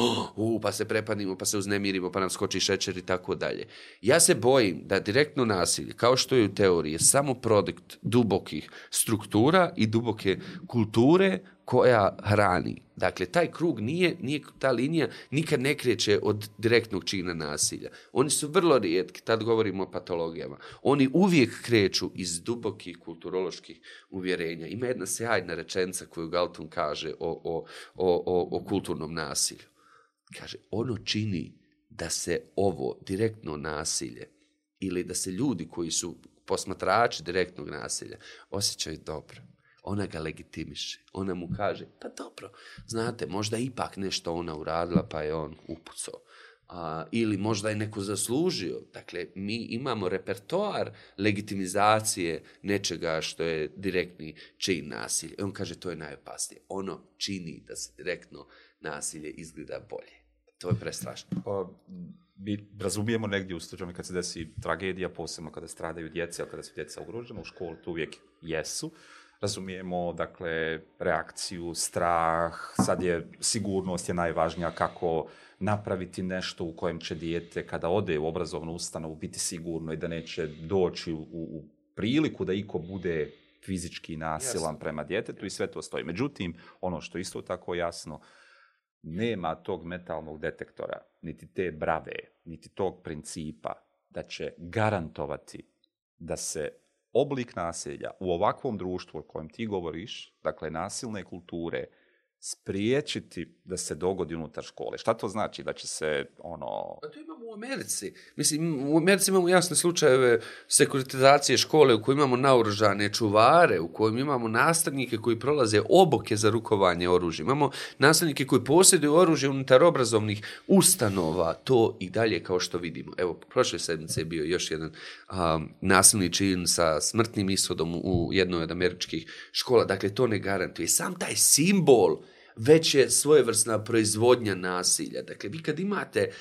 pa se prepadnimo, pa se uznemirimo, pa nam skoči šećer i tako dalje. Ja se bojim da direktno nasilje, kao što je u teoriji, je samo produkt dubokih struktura i duboke kulture koja hrani. Dakle, taj krug nije ta linija nikad ne kreće od direktnog čina nasilja. Oni su vrlo rijetki, tad govorimo o patologijama. Oni uvijek kreću iz dubokih kulturoloških uvjerenja. Ima jedna sjajna rečenica koju Galton kaže o kulturnom nasilju. Kaže, ono čini da se ovo direktno nasilje ili da se ljudi koji su posmatrači direktnog nasilja osjećaju dobro. Ona ga legitimiše. Ona mu kaže, pa dobro, znate, možda ipak nešto ona uradila, pa je on upucao. Ili možda je neko zaslužio. Dakle, mi imamo repertoar legitimizacije nečega što je direktni čin nasilja. I on kaže, to je najopasnije. Ono čini da se direktno nasilje izgleda bolje. To je prestrašno. Mi razumijemo negdje u slučaju kad se desi tragedija, posebno kada stradaju djeca, kada su djeca ugrožena, u školi to uvijek jesu. Razumijemo, dakle, reakciju, strah, sad je sigurnost je najvažnija, kako napraviti nešto u kojem će dijete kada ode u obrazovnu ustanovu biti sigurno i da neće doći u priliku da iko bude fizički nasilan prema djetetu i sve to stoji. Međutim, ono što isto tako jasno, nema tog metalnog detektora, niti te brave, niti tog principa da će garantovati da se oblik nasilja u ovakvom društvu o kojem ti govoriš, dakle nasilne kulture, spriječiti da se dogodi unutar škole. Šta to znači? Da će se Pa to imamo u Americi. Mislim, u Americi imamo jasne slučajeve sekuritizacije škole u kojoj imamo naoružane čuvare, u kojoj imamo nastavnike koji prolaze obuke za rukovanje oružjem. Imamo nastavnike koji posjeduju oružje unutar obrazovnih ustanova. To i dalje kao što vidimo. Evo, prošle sedmice je bio još jedan nasilni čin sa smrtnim ishodom u jednoj od američkih škola. Dakle, to ne garantuje. Sam taj simbol već je svojevrsna proizvodnja nasilja. Dakle, vi kad imate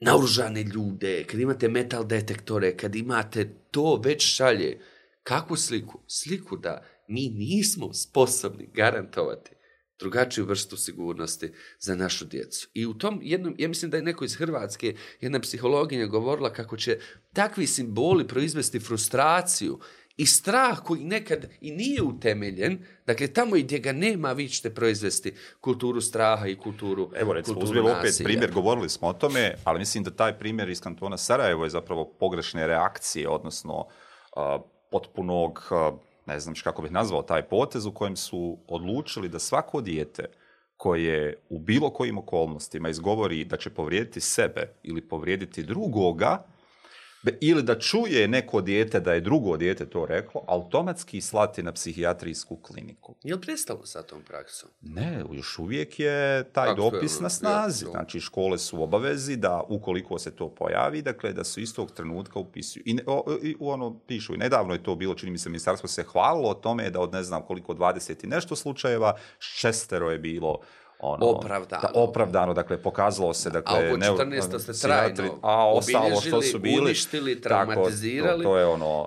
naoružane ljude, kad imate metal detektore, kad imate to, već šalje kakvu sliku? Sliku da mi nismo sposobni garantovati drugačiju vrstu sigurnosti za našu djecu. I u tom jednom, ja mislim da je neko iz Hrvatske, jedna psihologinja govorila kako će takvi simboli proizvesti frustraciju i strah koji nekad i nije utemeljen, dakle tamo i gdje ga nema vi ćete proizvesti kulturu straha i kulturu nasilja. Evo recimo, uzmemo opet primjer, govorili smo o tome, ali mislim da taj primjer iz kantona Sarajevo je zapravo pogrešne reakcije, odnosno potpunog, ne znam kako bih nazvao taj potez u kojem su odlučili da svako dijete koje u bilo kojim okolnostima izgovori da će povrijediti sebe ili povrijediti drugoga, ili da čuje neko dijete da je drugo dijete to reklo, automatski slati na psihijatrijsku kliniku. Je li prestalo sa tom praksom? Ne, još uvijek je taj dopis na snazi. Znači, škole su u obavezi da, ukoliko se to pojavi, dakle, da se istog trenutka upisuju. I pišu, i nedavno je to bilo, čini mi se, ministarstvo se hvalilo o tome da od ne znam koliko 20 i nešto slučajeva, 6 je bilo opravdano, dakle, pokazalo se, dakle, a oko 14 ste trajno obilježili, uništili, traumatizirali.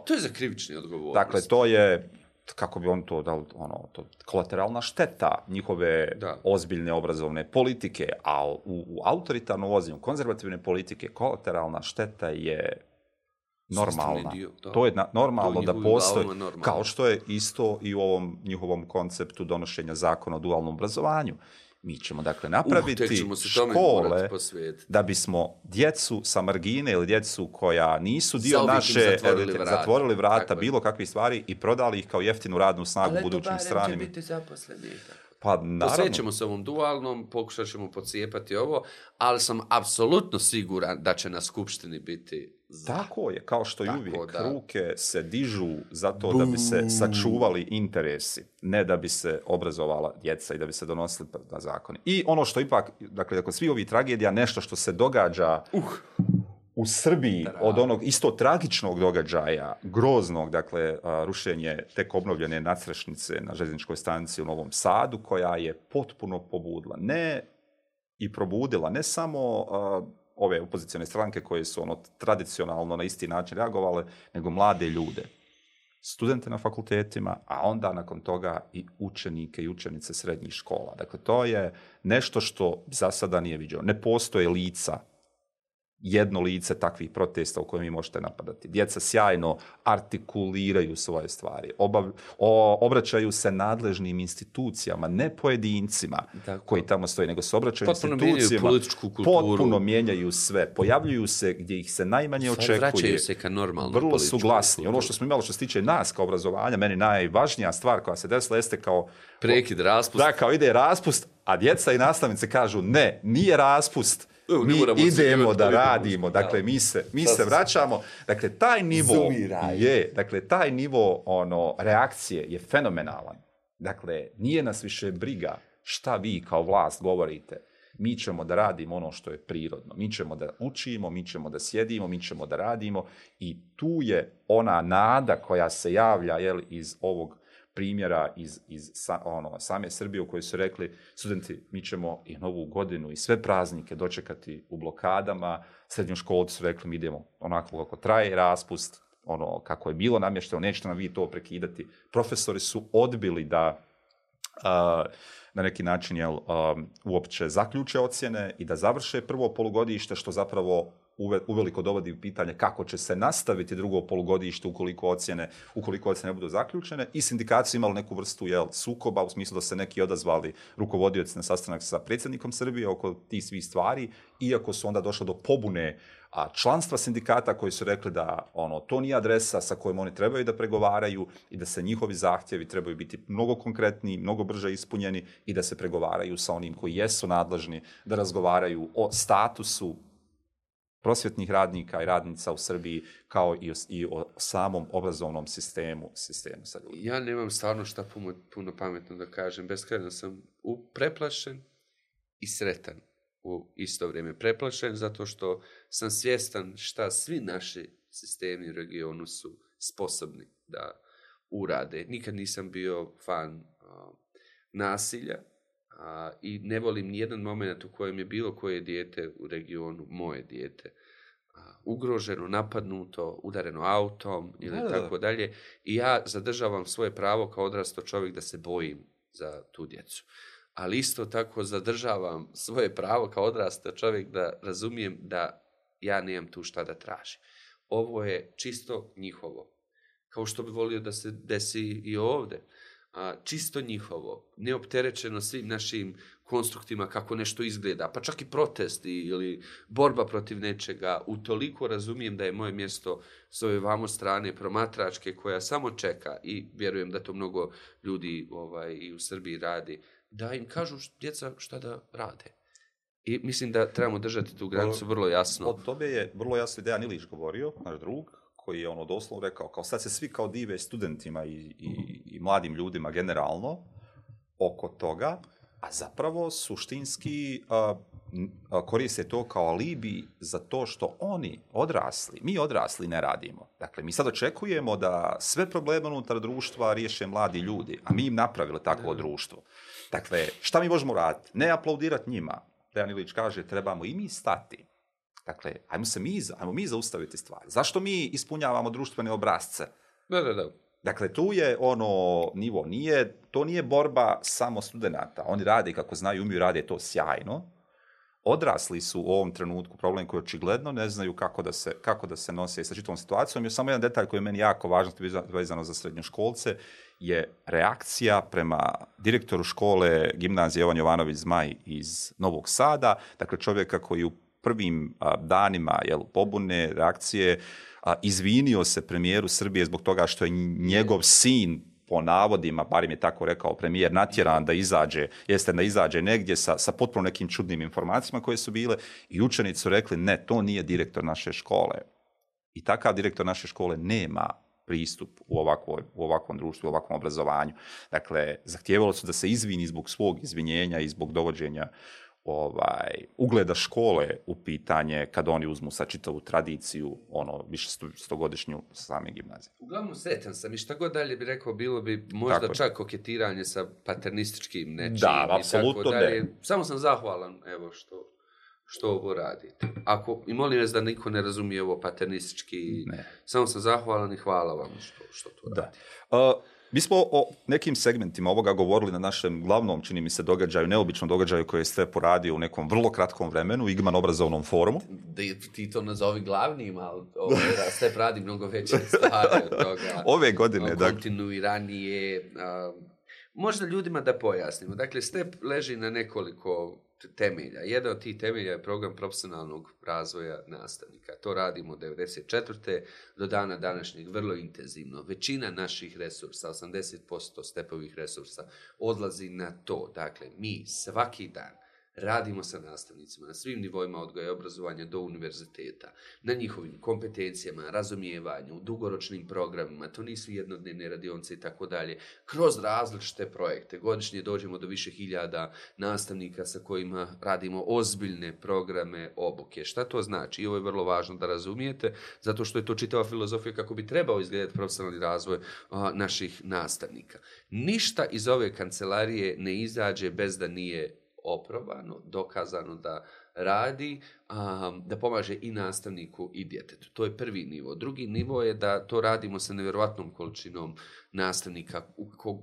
To je za krivični odgovornost. Dakle, to je, kako bi on to dal, kolateralna šteta njihove ozbiljne obrazovne politike, a u autoritarnom vođenju konzervativne politike kolateralna šteta je normalna. To je normalno da postoji, kao što je isto i u ovom njihovom konceptu donošenja zakona o dualnom obrazovanju. Mi ćemo, dakle, napraviti škole da bismo djecu sa margine ili djecu koja nisu dio naše zatvorili vrata bilo kakvih stvari i prodali ih kao jeftinu radnu snagu budućim stranima. Ali to barem će biti zaposleni. Pa, naravno. Posvećemo se ovom dualnom, pokušat ćemo pocijepati ovo, ali sam apsolutno siguran da će na skupštini biti Tako je, kao što i uvijek. Ruke se dižu zato da bi se sačuvali interesi, ne da bi se obrazovala djeca i da bi se donosili zakoni. I ono što ipak, dakle, svi ovi tragedija, nešto što se događa u Srbiji od onog isto tragičnog događaja, groznog, dakle, rušenje tek obnovljene nadstrešnice na željezničkoj stanici u Novom Sadu, koja je potpuno pobudila, probudila ne samo ove opozicione stranke koje su tradicionalno na isti način reagovale, nego mlade ljude, studente na fakultetima, a onda nakon toga i učenike i učenice srednjih škola. Dakle, to je nešto što za sada nije viđeno. Ne postoje lica, jedno lice takvih protesta u kojem vi možete napadati. Djeca sjajno artikuliraju svoje stvari, obraćaju se nadležnim institucijama, ne pojedincima koji tamo stoji, nego se obraćaju institucijama, potpuno mijenjaju sve, pojavljuju se gdje ih se najmanje očekuje. Vraćaju se ka normalnom vrlo su glasni. Ono što smo imali što se tiče nas kao obrazovanja, meni najvažnija stvar koja se desila jeste kao prekid, raspust. Da, kao ide raspust, a djeca i nastavnice kažu ne, nije raspust. Mi idemo da radimo, dakle, mi se vraćamo. Dakle, taj nivo reakcije je fenomenalan. Dakle, nije nas više briga šta vi kao vlast govorite. Mi ćemo da radimo ono što je prirodno. Mi ćemo da učimo, mi ćemo da sjedimo, mi ćemo da radimo. I tu je ona nada koja se javlja iz ovog primjera iz same Srbije u kojoj su rekli studenti, mi ćemo i Novu godinu i sve praznike dočekati u blokadama. Srednjoškolci su rekli, mi idemo onako kako traje raspust, kako je bilo namješteno, nećete nam vi to prekidati. Profesori su odbili da na neki način uopće zaključe ocjene i da završe prvo polugodište, što zapravo uveliko dovodi u pitanje kako će se nastaviti drugo polugodište ukoliko ocjene ne budu zaključene. I sindikati su imali neku vrstu sukoba, u smislu da se neki odazvali rukovodioci na sastanak sa predsjednikom Srbije oko tih svih stvari, iako su onda došlo do pobune članstva sindikata koji su rekli da to nije adresa sa kojom oni trebaju da pregovaraju i da se njihovi zahtjevi trebaju biti mnogo konkretniji, mnogo brže ispunjeni i da se pregovaraju sa onim koji jesu nadležni da razgovaraju o statusu prosvjetnih radnika i radnica u Srbiji, kao i o samom obrazovnom sistemu sa ljudima. Ja nemam stvarno šta puno pametno da kažem. Beskrajno sam preplašen i sretan u isto vrijeme. Preplašen zato što sam svjestan šta svi naši sistemi u regionu su sposobni da urade. Nikad nisam bio fan nasilja i ne volim nijedan moment u kojem je bilo koje dijete u regionu, moje dijete, ugroženo, napadnuto, udareno autom ili tako dalje. I ja zadržavam svoje pravo kao odrasto čovjek da se bojim za tu djecu. Ali isto tako zadržavam svoje pravo kao odrasto čovjek da razumijem da ja nemam tu šta da tražim. Ovo je čisto njihovo. Kao što bi volio da se desi i ovdje. Čisto njihovo, neopterećeno svim našim konstruktima kako nešto izgleda, pa čak i protesti ili borba protiv nečega. Utoliko razumijem da je moje mjesto s ove vamo strane promatračke koja samo čeka, i vjerujem da to mnogo ljudi i u Srbiji radi, da im kažu djeca šta da rade. I mislim da trebamo držati tu granicu vrlo jasno. Od tobe je vrlo jasno Dejan Ilić govorio, naš drug, koji je doslovno rekao, kao sad se svi kao dive studentima i mladim ljudima generalno oko toga, a zapravo suštinski koriste to kao alibi za to što mi odrasli ne radimo. Dakle, mi sad očekujemo da sve probleme unutar društva riješe mladi ljudi, a mi im napravili takvo društvo. Dakle, šta mi možemo raditi? Ne aplaudirati njima. Dejan Ilić kaže, trebamo i mi stati. Dakle, ajmo mi zaustaviti stvari. Zašto mi ispunjavamo društvene obrasce? Da. Dakle, tu je nivo. To nije borba samo studenata. Oni rade kako znaju, umiju, rade to sjajno. Odrasli su u ovom trenutku problem koji očigledno ne znaju kako da se nose sa čitavom situacijom. Još samo jedan detalj koji je meni jako važan, vezano za srednjoškolce, je reakcija prema direktoru škole gimnazije Jovan Jovanović Zmaj iz Novog Sada. Dakle, čovjeka koji u prvim danima pobune, reakcije, izvinio se premijeru Srbije zbog toga što je njegov sin, po navodima, barim je tako rekao premijer, natjeran da izađe negdje sa potpuno nekim čudnim informacijama koje su bile, i učenici su rekli, ne, to nije direktor naše škole. I takav direktor naše škole nema pristup u ovakvom društvu, u ovakvom obrazovanju. Dakle, zahtijevalo su da se izvini zbog svog izvinjenja i zbog dovođenja ugleda škole u pitanje kad oni uzmu sa čitavu tradiciju, više stogodišnju same gimnazije. Uglavnom sretan sam i šta god dalje bi rekao, bilo bi možda čak koketiranje sa paternističkim nečim. Da, apsolutno ne. Samo sam zahvalan, evo, što ovo radite. I molim vas da niko ne razumije ovo paternistički, samo sam zahvalan i hvala vam što to radite. Mi smo o nekim segmentima ovoga govorili na našem glavnom, čini mi se, događaju, neobičnom događaju koje ste poradio u nekom vrlo kratkom vremenu, Igman obrazovnom forumu. Ti to nazovi glavnim, ali Step radi mnogo veće stvari od toga. Ove godine, kontinuiranije. Možda ljudima da pojasnimo. Dakle, Step leži na nekoliko temelja. Jedan od tih temelja je program profesionalnog razvoja nastavnika. To radimo od 1994. do dana današnjeg vrlo intenzivno. Većina naših resursa, 80% Stepovih resursa, odlazi na to. Dakle, mi svaki dan radimo sa nastavnicima na svim nivoima odgoja i obrazovanja do univerziteta, na njihovim kompetencijama, razumijevanju, dugoročnim programima, to nisu jednodnevne radionice i tako dalje, kroz različite projekte. Godišnje dođemo do više hiljada nastavnika sa kojima radimo ozbiljne programe obuke. Šta to znači? I ovo je vrlo važno da razumijete, zato što je to čitava filozofija kako bi trebao izgledati profesionalni razvoj naših nastavnika. Ništa iz ove kancelarije ne izađe bez da nije oprobano, dokazano da radi, da pomaže i nastavniku i djetetu. To je prvi nivo. Drugi nivo je da to radimo sa nevjerojatnom količinom nastavnika.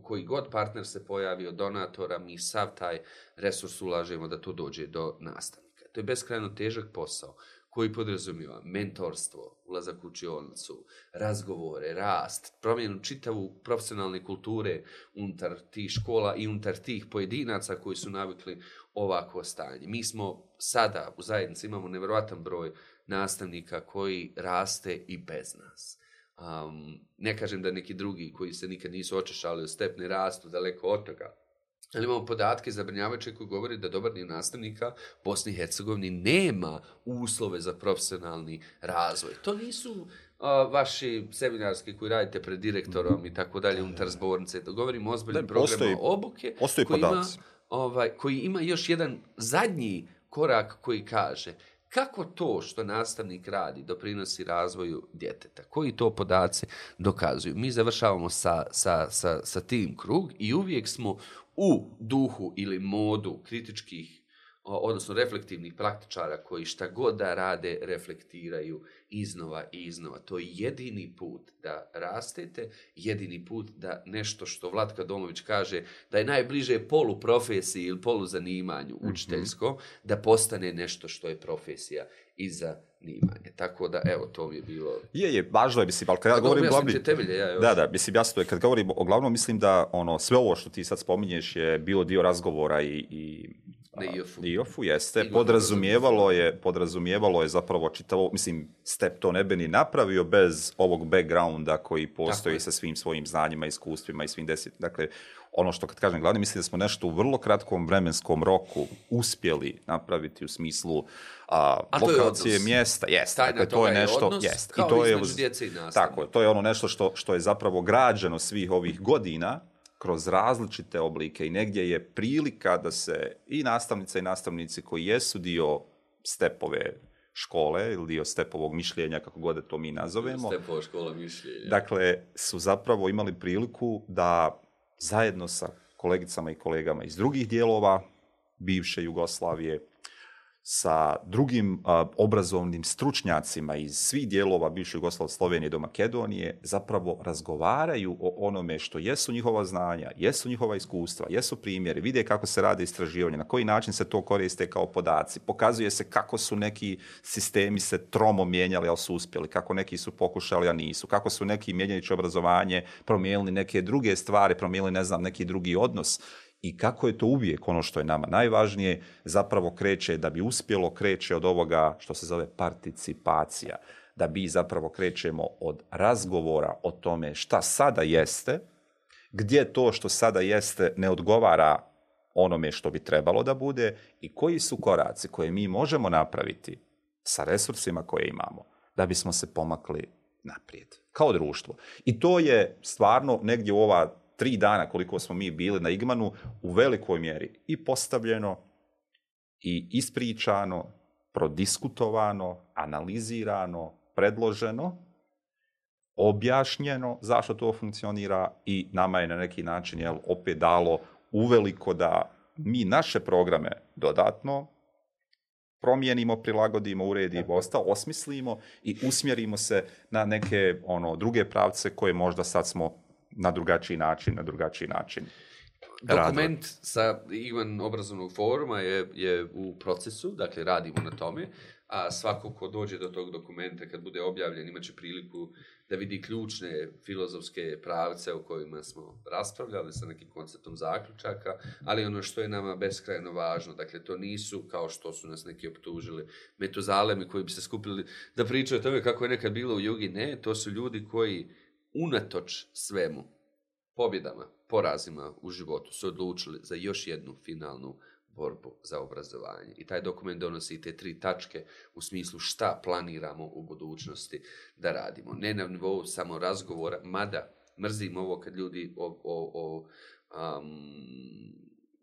Koji god partner se pojavi od donatora, mi sav taj resurs ulažemo da to dođe do nastavnika. To je beskrajno težak posao koji podrazumijeva mentorstvo, ulazak u učionicu, razgovore, rast, promjenu čitavu profesionalne kulture unutar tih škola i unutar tih pojedinaca koji su navikli ovako stanje. Mi smo sada u zajednici imamo nevjerojatan broj nastavnika koji raste i bez nas. Ne kažem da neki drugi koji se nikad nisu očešali u Step ne rastu daleko od toga, Ali imamo podatke zabrinjavajuće koji govori da dobar dio nastavnika Bosni i Hercegovini nema uslove za profesionalni razvoj. To nisu vaši seminarski koji radite pred direktorom i tako dalje unutar zbornice. To govorimo o ozbiljnim programima obuke koji ima još jedan zadnji korak koji kaže kako to što nastavnik radi doprinosi razvoju djeteta? Koji to podaci dokazuju? Mi završavamo sa tim krug i uvijek smo u duhu ili modu kritičkih, odnosno reflektivnih praktičara koji šta god da rade, reflektiraju iznova i iznova. To je jedini put da rastete, jedini put da nešto što Vlatka Domović kaže da je najbliže poluprofesiji ili poluzanimanju učiteljsko, da postane nešto što je profesija i zanimanje. Tako da, evo, to mi je bilo... Je, važno je, mislim, ali kad ja govorim glavni... Da, mislim, jasno je, kad govorim o glavnom, mislim da sve ovo što ti sad spominješ je bilo dio razgovora i IOF-u jeste, podrazumijevalo je zapravo čitavo, mislim, Step to ne bi ni napravio bez ovog backgrounda koji postoji sa svim svojim znanjima, iskustvima i svim dakle, ono što kad kažem glavni, mislim da smo nešto u vrlo kratkom vremenskom roku uspjeli napraviti u smislu lokacije mjesta. Jeste, dakle, to je nešto, jeste. I to je djece i nastavnika. Tako, to je ono nešto što je zapravo građeno svih ovih godina kroz različite oblike i negdje je prilika da se i nastavnice i nastavnici koji jesu dio stepove škole ili dio stepovog mišljenja, kako god da to mi nazovemo. Stepova škola mišljenja. Dakle, su zapravo imali priliku da zajedno sa kolegicama i kolegama iz drugih dijelova bivše Jugoslavije, sa drugim obrazovnim stručnjacima iz svih dijelova bivše Jugoslavije, Slovenije do Makedonije, zapravo razgovaraju o onome što jesu njihova znanja, jesu njihova iskustva, jesu primjeri, vide kako se rade istraživanja, na koji način se to koriste kao podaci, pokazuje se kako su neki sistemi se tromo mijenjali, ali su uspjeli, kako neki su pokušali, a nisu, kako su neki mijenjajući obrazovanje promijenili neke druge stvari, promijenili, ne znam, neki drugi odnos. I kako je to uvijek ono što je nama najvažnije, zapravo kreće od ovoga što se zove participacija. Da mi zapravo krećemo od razgovora o tome šta sada jeste, gdje to što sada jeste ne odgovara onome što bi trebalo da bude i koji su koraci koje mi možemo napraviti sa resursima koje imamo da bismo se pomakli naprijed kao društvo. I to je stvarno negdje u ova 3 dana koliko smo mi bili na Igmanu u velikoj mjeri i postavljeno i ispričano, prodiskutovano, analizirano, predloženo, objašnjeno zašto to funkcionira i nama je na neki način opet dalo uveliko da mi naše programe dodatno promijenimo, prilagodimo, uredimo, osmislimo i usmjerimo se na neke druge pravce koje možda sad smo na drugačiji način. Dokument sa Igman obrazovnog foruma je u procesu, dakle radimo na tome, a svako ko dođe do tog dokumenta kad bude objavljen imaće priliku da vidi ključne filozofske pravce o kojima smo raspravljali sa nekim konceptom zaključaka, ali ono što je nama beskrajno važno, dakle to nisu kao što su nas neki optužili metuzalemi koji bi se skupili da pričaju o tome kako je nekad bilo u Jugi, ne, to su ljudi koji unatoč svemu, pobjedama, porazima u životu su odlučili za još jednu finalnu borbu za obrazovanje. I taj dokument donosi te 3 tačke u smislu šta planiramo u budućnosti da radimo. Ne na nivou samo razgovora, mada mrzim ovo kad ljudi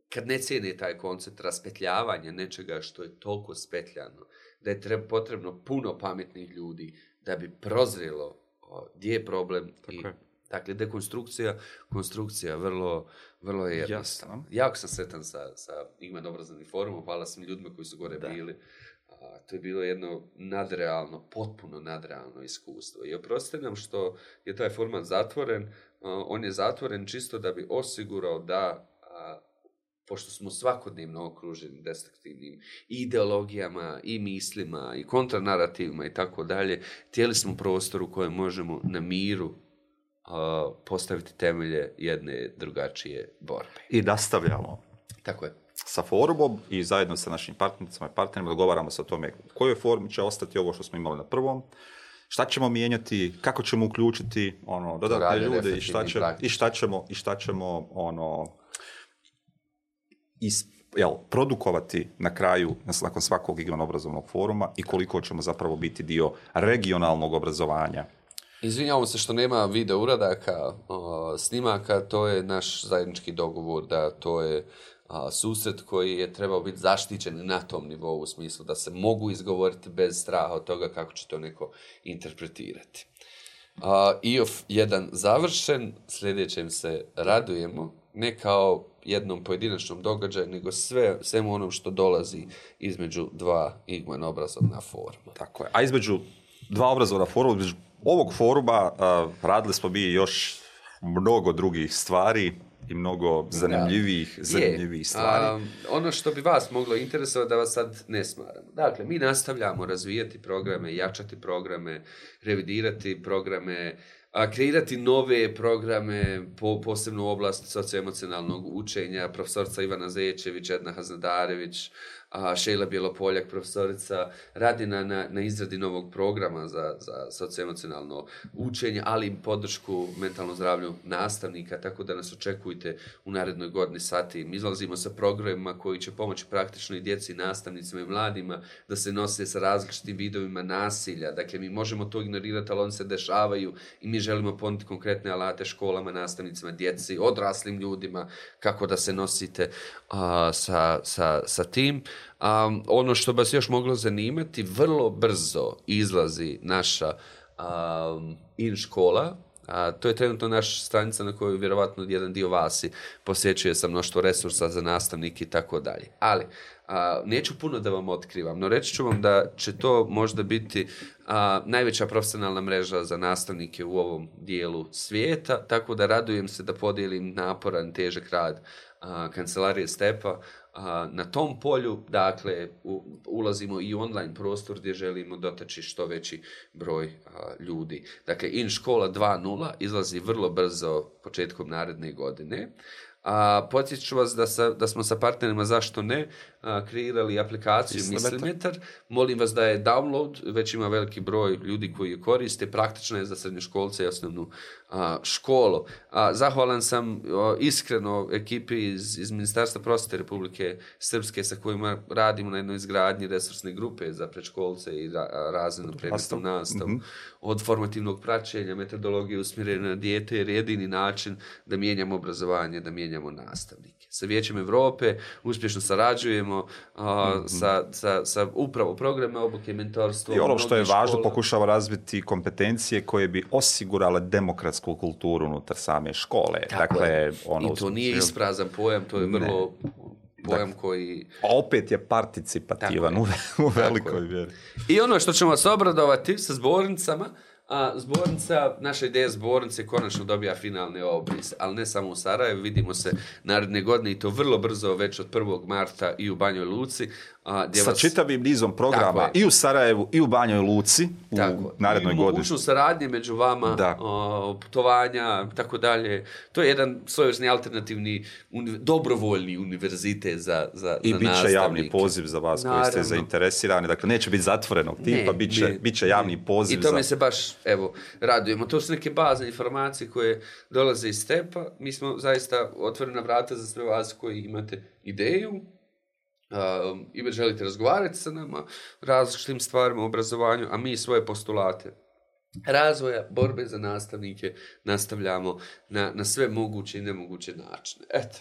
kad ne cijene taj koncept raspetljavanja nečega što je toliko spetljano, da je potrebno puno pametnih ljudi da bi prozrelo gdje je problem. Dakle, konstrukcija vrlo je jednostavna. Jako sam sretan sa Igman obrazovnim forumom, hvala svim ljudima koji su gore bili. To je bilo jedno potpuno nadrealno iskustvo. I oprostite nam što je taj format zatvoren. On je zatvoren čisto da bi osigurao da, pošto smo svakodnevno okruženi destruktivnim ideologijama i mislima i kontranarativima i tako dalje, htjeli smo prostor u kojem možemo na miru postaviti temelje jedne drugačije borbe. I nastavljamo. Tako je. Sa forumom i zajedno sa našim partnericama i partnerima dogovaramo se o tome u kojoj formi će ostati ovo što smo imali na prvom, šta ćemo mijenjati, kako ćemo uključiti dodatne ljude i šta ćemo produkovati na kraju, nakon svakog igmano-obrazovnog foruma i koliko ćemo zapravo biti dio regionalnog obrazovanja. Izvinjavamo se što nema video uradaka, snimaka, to je naš zajednički dogovor da to je susret koji je trebao biti zaštićen na tom nivou u smislu da se mogu izgovoriti bez straha od toga kako će to neko interpretirati. IOF 1 završen, sljedećem se radujemo, ne kao jednom pojedinačnom događaju, nego svemu onom što dolazi između dva igmano-obrazovna foruma. Tako je. A između dva obrazovna foruma, između ovog foruma radili smo mi još mnogo drugih stvari i mnogo zanimljivih stvari. Ono što bi vas moglo interesovati da vas sad ne smaramo. Dakle, mi nastavljamo razvijati programe, jačati programe, revidirati programe, kreirati nove programe, posebno u oblasti socioemocionalnog učenja, profesorica Ivana Zečević, Edna Haznadarević, Šejla Bjelopoljak, profesorica, radi na izradi novog programa za socioemocionalno učenje, ali i podršku mentalnom zdravlju nastavnika, tako da nas očekujte u narednoj godini sati. Mi izlazimo sa programima koji će pomoći praktično i djeci, nastavnicima i mladima da se nose sa različitim vidovima nasilja. Dakle, mi možemo to ignorirati, ali oni se dešavaju i mi želimo ponuditi konkretne alate školama, nastavnicima, djeci, odraslim ljudima, kako da se nosite sa tim. Ono što vas još moglo zanimati, vrlo brzo izlazi naša in-škola. To je trenutno naša stranica na kojoj vjerovatno jedan dio vas posjećuje sa mnoštvo resursa za nastavnike i tako dalje. Ali neću puno da vam otkrivam, no reći ću vam da će to možda biti najveća profesionalna mreža za nastavnike u ovom dijelu svijeta, tako da radujem se da podijelim naporan, težak rad kancelarije Stepa na tom polju. Dakle, ulazimo i u online prostor gdje želimo dotaći što veći broj ljudi. Dakle, in-škola 2.0 izlazi vrlo brzo početkom naredne godine. Podsjetit ću vas da smo sa partnerima Zašto ne kreirali aplikaciju Mislimetar. Molim vas da je download, već ima veliki broj ljudi koji je koriste, praktično je za srednjoškolce i osnovnu školu. Zahvalan sam iskreno ekipi iz Ministarstva prosvjete Republike Srpske sa kojima radimo na jednoj izgradnji resursne grupe za predškolce i razrednu predmetnu nastavu. Od formativnog praćenja, metodologije usmjerene na dijete, jer jedini način da mijenjamo obrazovanje, da mijenjamo nastavnike. Sa Vijećem Europe uspješno sarađujemo sa upravo programe obuke, mentorstvo. I ono što je važno, pokušava razviti kompetencije koje bi osigurale demokratsku kulturu unutar same škole. Dakle, i to nije isprazan pojam, to je vrlo pojam koji... A opet je participativan u velikoj mjeri. I ono što ćemo vas obradovati sa zbornicama, zbornica, naša ideja zbornice konačno dobija finalne obrise, ali ne samo u Sarajevu, vidimo se naredne godine i to vrlo brzo, već od 1. marta i u Banjoj Luci. Sa čitavim nizom programa i u Sarajevu i u Banjoj Luci u narednoj godini. Mogućnost saradnje među vama, putovanja, tako dalje. To je jedan svojevrsni alternativni, dobrovoljni univerzitet za nastavnike. I bit će javni poziv za vas koji ste zainteresirani. Dakle, neće biti zatvorenog tipa, bit će javni poziv. I tome se baš, radujemo. To su neke bazne informacije koje dolaze iz Stepa. Mi smo zaista otvorena vrata za sve vas koji imate ideju i već želite razgovarati sa nama različitim stvarima u obrazovanju, a mi svoje postulate razvoja, borbe za nastavnike nastavljamo na sve moguće i nemoguće načine. Eto.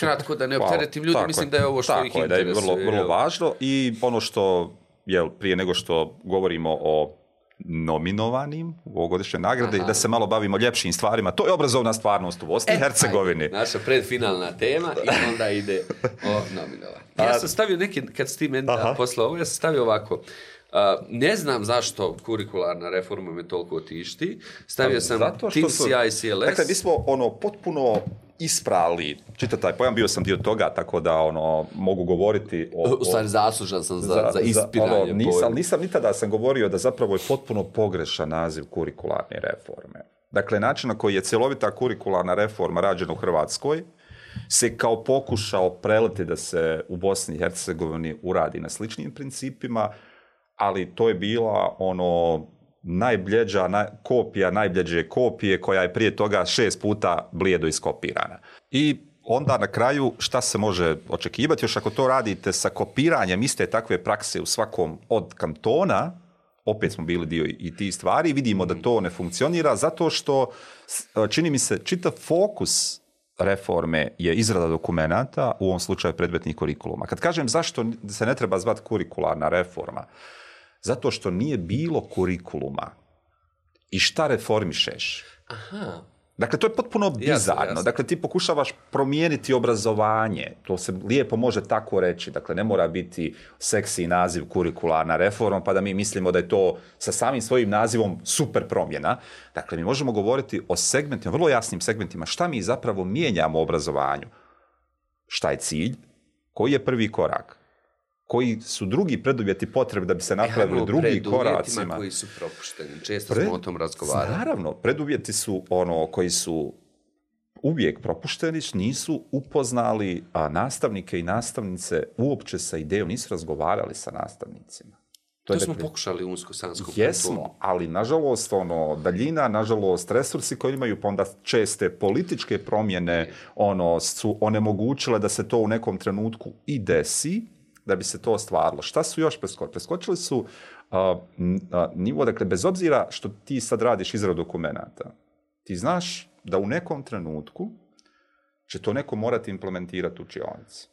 Kratko, da ne opteretim ljudi, mislim da je ovo što ih interesuje. Tako je, da je vrlo važno i ono što, prije nego što govorimo o nominovanim u ovogodišnje nagrade i da se malo bavimo ljepšim stvarima. To je obrazovna stvarnost u Bosni i Hercegovini. Naša predfinalna tema i onda ide o nominovanju. Ja sam stavio neki, kad si ti meni poslao ovo, ja sam stavio ovako. Ne znam zašto kurikularna reforma me toliko tišti. Stavio sam TIMSS i ICLS. Dakle, mi smo potpuno isprali, čita taj pojam, bio sam dio toga, tako da mogu govoriti u stvari zaslužan sam za ispiranje pojma. Nisam nitada sam govorio da zapravo je potpuno pogrešan naziv kurikularne reforme. Dakle, način na koji je cjelovita kurikularna reforma rađena u Hrvatskoj se kao pokušao preliti da se u Bosni i Hercegovini uradi na sličnim principima, ali to je bila najbljeđa kopija najbljeđe kopije koja je prije toga 6 puta blijedo iskopirana. I onda na kraju šta se može očekivati? Još ako to radite sa kopiranjem iste takve prakse u svakom od kantona, opet smo bili dio i tih stvari, vidimo da to ne funkcionira zato što, čini mi se, čitav fokus reforme je izrada dokumenata, u ovom slučaju predmetnih kurikuluma. Kad kažem zašto se ne treba zvati kurikularna reforma, zato što nije bilo kurikuluma i šta reformišeš. Aha. Dakle, to je potpuno bizarno. Jasno. Dakle, ti pokušavaš promijeniti obrazovanje. To se lijepo može tako reći. Dakle, ne mora biti seksi naziv kurikularna reforma, pa da mi mislimo da je to sa samim svojim nazivom super promjena. Dakle, mi možemo govoriti o segmentima, vrlo jasnim segmentima, šta mi zapravo mijenjamo u obrazovanju. Šta je cilj? Koji je prvi korak? Koji su drugi preduvjeti potrebni da bi se napravili drugi koracima. Koji su propušteni. Često smo o tom razgovarali. Naravno, preduvjeti su koji su uvijek propušteni, nisu upoznali nastavnike i nastavnice uopće sa idejom, nisu razgovarali sa nastavnicima. To smo pokušali u Unsko-Sanskom Jesmo, ali nažalost daljina, nažalost resursi koji imaju, pa onda česte političke promjene su onemogućile da se to u nekom trenutku i desi, da bi se to ostvarilo. Šta su još preskočili? Preskočili su nivo, dakle, bez obzira što ti sad radiš izradu dokumenata, ti znaš da u nekom trenutku će to neko morati implementirati u učionici.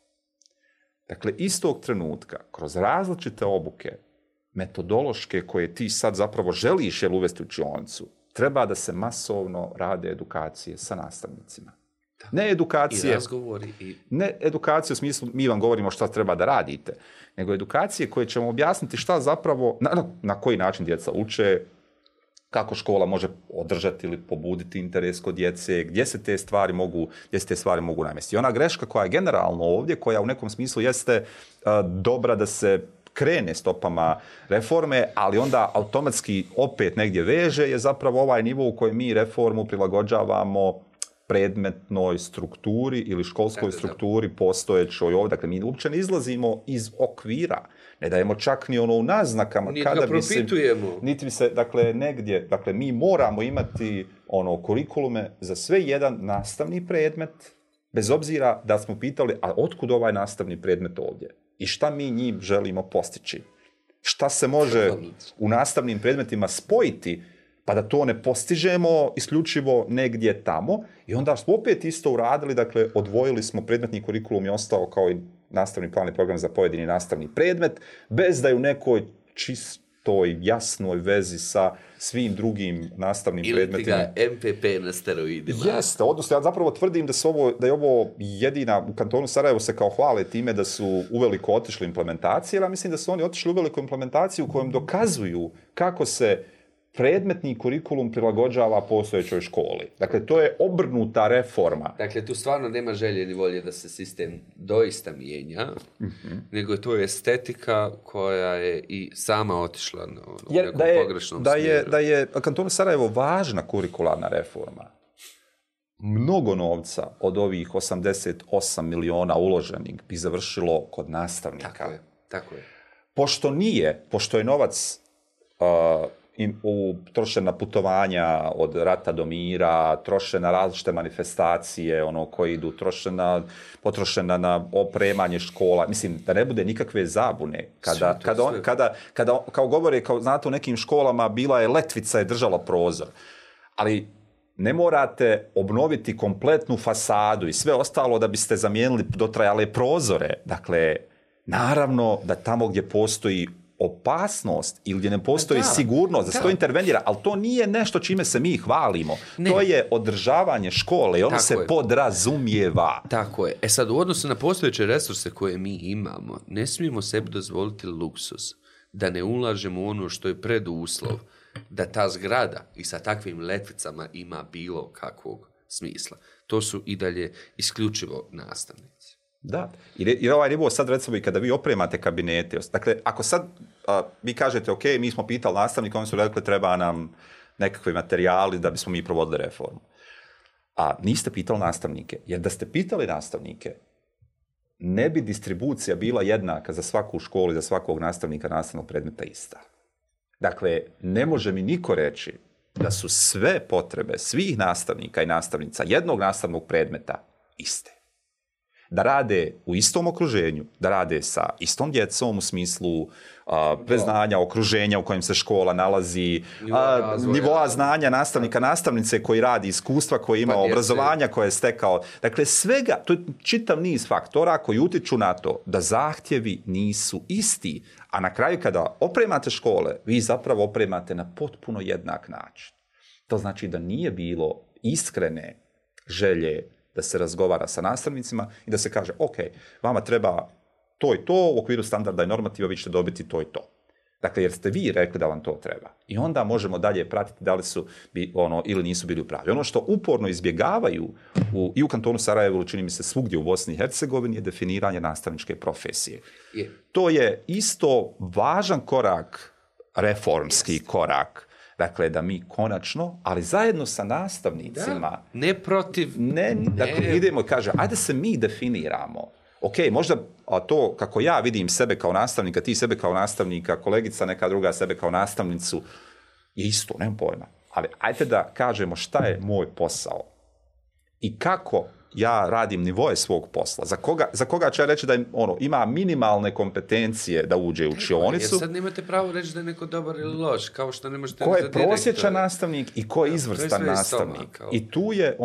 Dakle, istog trenutka, kroz različite obuke, metodološke koje ti sad zapravo želiš uvesti u učionicu, treba da se masovno rade edukacije sa nastavnicima. Ne edukacije, i razgovori. Ne edukacije u smislu mi vam govorimo šta treba da radite, nego edukacije koje ćemo objasniti šta zapravo, na koji način djeca uče, kako škola može održati ili pobuditi interes kod djece, gdje se te stvari mogu namjestiti. I ona greška koja je generalno ovdje, koja u nekom smislu jeste dobra da se krene stopama reforme, ali onda automatski opet negdje veže, je zapravo ovaj nivo u kojem mi reformu prilagođavamo predmetnoj strukturi ili školskoj strukturi postojećoj ovdje. Dakle, mi uopće ne izlazimo iz okvira. Ne dajemo čak ni u naznakama. Kada propitujemo. Niti se, dakle, negdje, dakle, mi moramo imati kurikulume za sve jedan nastavni predmet, bez obzira da smo pitali, a otkud ovaj nastavni predmet ovdje? I šta mi njim želimo postići? Šta se može u nastavnim predmetima spojiti pa da to ne postižemo isključivo negdje tamo, i onda smo opet isto uradili, dakle, odvojili smo predmetni kurikulum i ostao kao i nastavni plan i program za pojedini nastavni predmet, bez da je u nekoj čistoj, jasnoj vezi sa svim drugim nastavnim predmetima. Ili ti ga MPP na steroidima. Jeste, odnosno ja zapravo tvrdim da je ovo jedina, u kantonu Sarajevo se kao hvale time da su uveliko otišli implementacije, ali mislim da su oni otišli uveliko implementaciju u kojem dokazuju kako se predmetni kurikulum prilagođava postojećoj školi. Dakle, to je obrnuta reforma. Dakle, tu stvarno nema želje ni volje da se sistem doista mijenja, nego je to estetika koja je i sama otišla u nekom pogrešnom smjeru. Da je kantonu Sarajevo važna kurikularna reforma. Mnogo novca od ovih 88 miliona uloženih bi završilo kod nastavnika. Tako je. Pošto je novac troše na putovanja od rata do mira, troše na različite manifestacije, koji idu, potrošena na opremanje škola. Mislim, da ne bude nikakve zabune. Kada kao govore, znate, u nekim školama bila je letvica je držala prozor. Ali ne morate obnoviti kompletnu fasadu i sve ostalo da biste zamijenili dotrajale prozore. Dakle, naravno da tamo gdje postoji opasnost ili gdje ne postoji sigurnost, da se to intervenira, ali to nije nešto čime se mi hvalimo. Ne. To je održavanje škole i ono se podrazumijeva. Tako je. Sad, u odnosu na postojeće resurse koje mi imamo, ne smijemo sebi dozvoliti luksus da ne ulažemo u ono što je preduslov da ta zgrada i sa takvim letvicama ima bilo kakvog smisla. To su i dalje isključivo nastavnici. Da, jer ovaj nivo sad, recimo, i kada vi opremate kabinete, dakle, ako sad vi kažete, ok, mi smo pitali nastavnika, oni su rekli treba nam nekakvi materijali da bismo mi provodili reformu. A niste pitali nastavnike, jer da ste pitali nastavnike, ne bi distribucija bila jednaka za svaku školu i za svakog nastavnika nastavnog predmeta ista. Dakle, ne može mi niko reći da su sve potrebe svih nastavnika i nastavnica jednog nastavnog predmeta iste. Da rade u istom okruženju, da rade sa istom djecom u smislu preznanja, okruženja u kojem se škola nalazi, nivoa znanja nastavnika, nastavnice koji radi, iskustva koje ima, obrazovanja koje je stekao. Dakle, svega, to je čitav niz faktora koji utiču na to da zahtjevi nisu isti. A na kraju kada opremate škole, vi zapravo opremate na potpuno jednak način. To znači da nije bilo iskrene želje da se razgovara sa nastavnicima i da se kaže, ok, vama treba to i to, u okviru standarda i normativa vi ćete dobiti to i to. Dakle, jer ste vi rekli da vam to treba. I onda možemo dalje pratiti da li su ili nisu bili u pravi. Ono što uporno izbjegavaju i u kantonu Sarajevo, čini mi se svugdje u Bosni i Hercegovini, je definiranje nastavničke profesije. To je isto važan korak, reformski korak. Dakle, da mi konačno, ali zajedno sa nastavnicima... Ne protiv... Dakle, idemo i kaže, ajde se mi definiramo. Ok, možda to kako ja vidim sebe kao nastavnika, ti sebe kao nastavnika, kolegica neka druga sebe kao nastavnicu, je isto, nemam pojma. Ali ajde da kažemo šta je moj posao i kako ja radim nivoje svog posla. Za koga ću ja reći da ima minimalne kompetencije da uđe u učionicu. Jer sad nemate pravo reći da je neko dobar ili loš, kao što ne možete... Ko je prosječan nastavnik i ko je izvrstan nastavnik. I tu je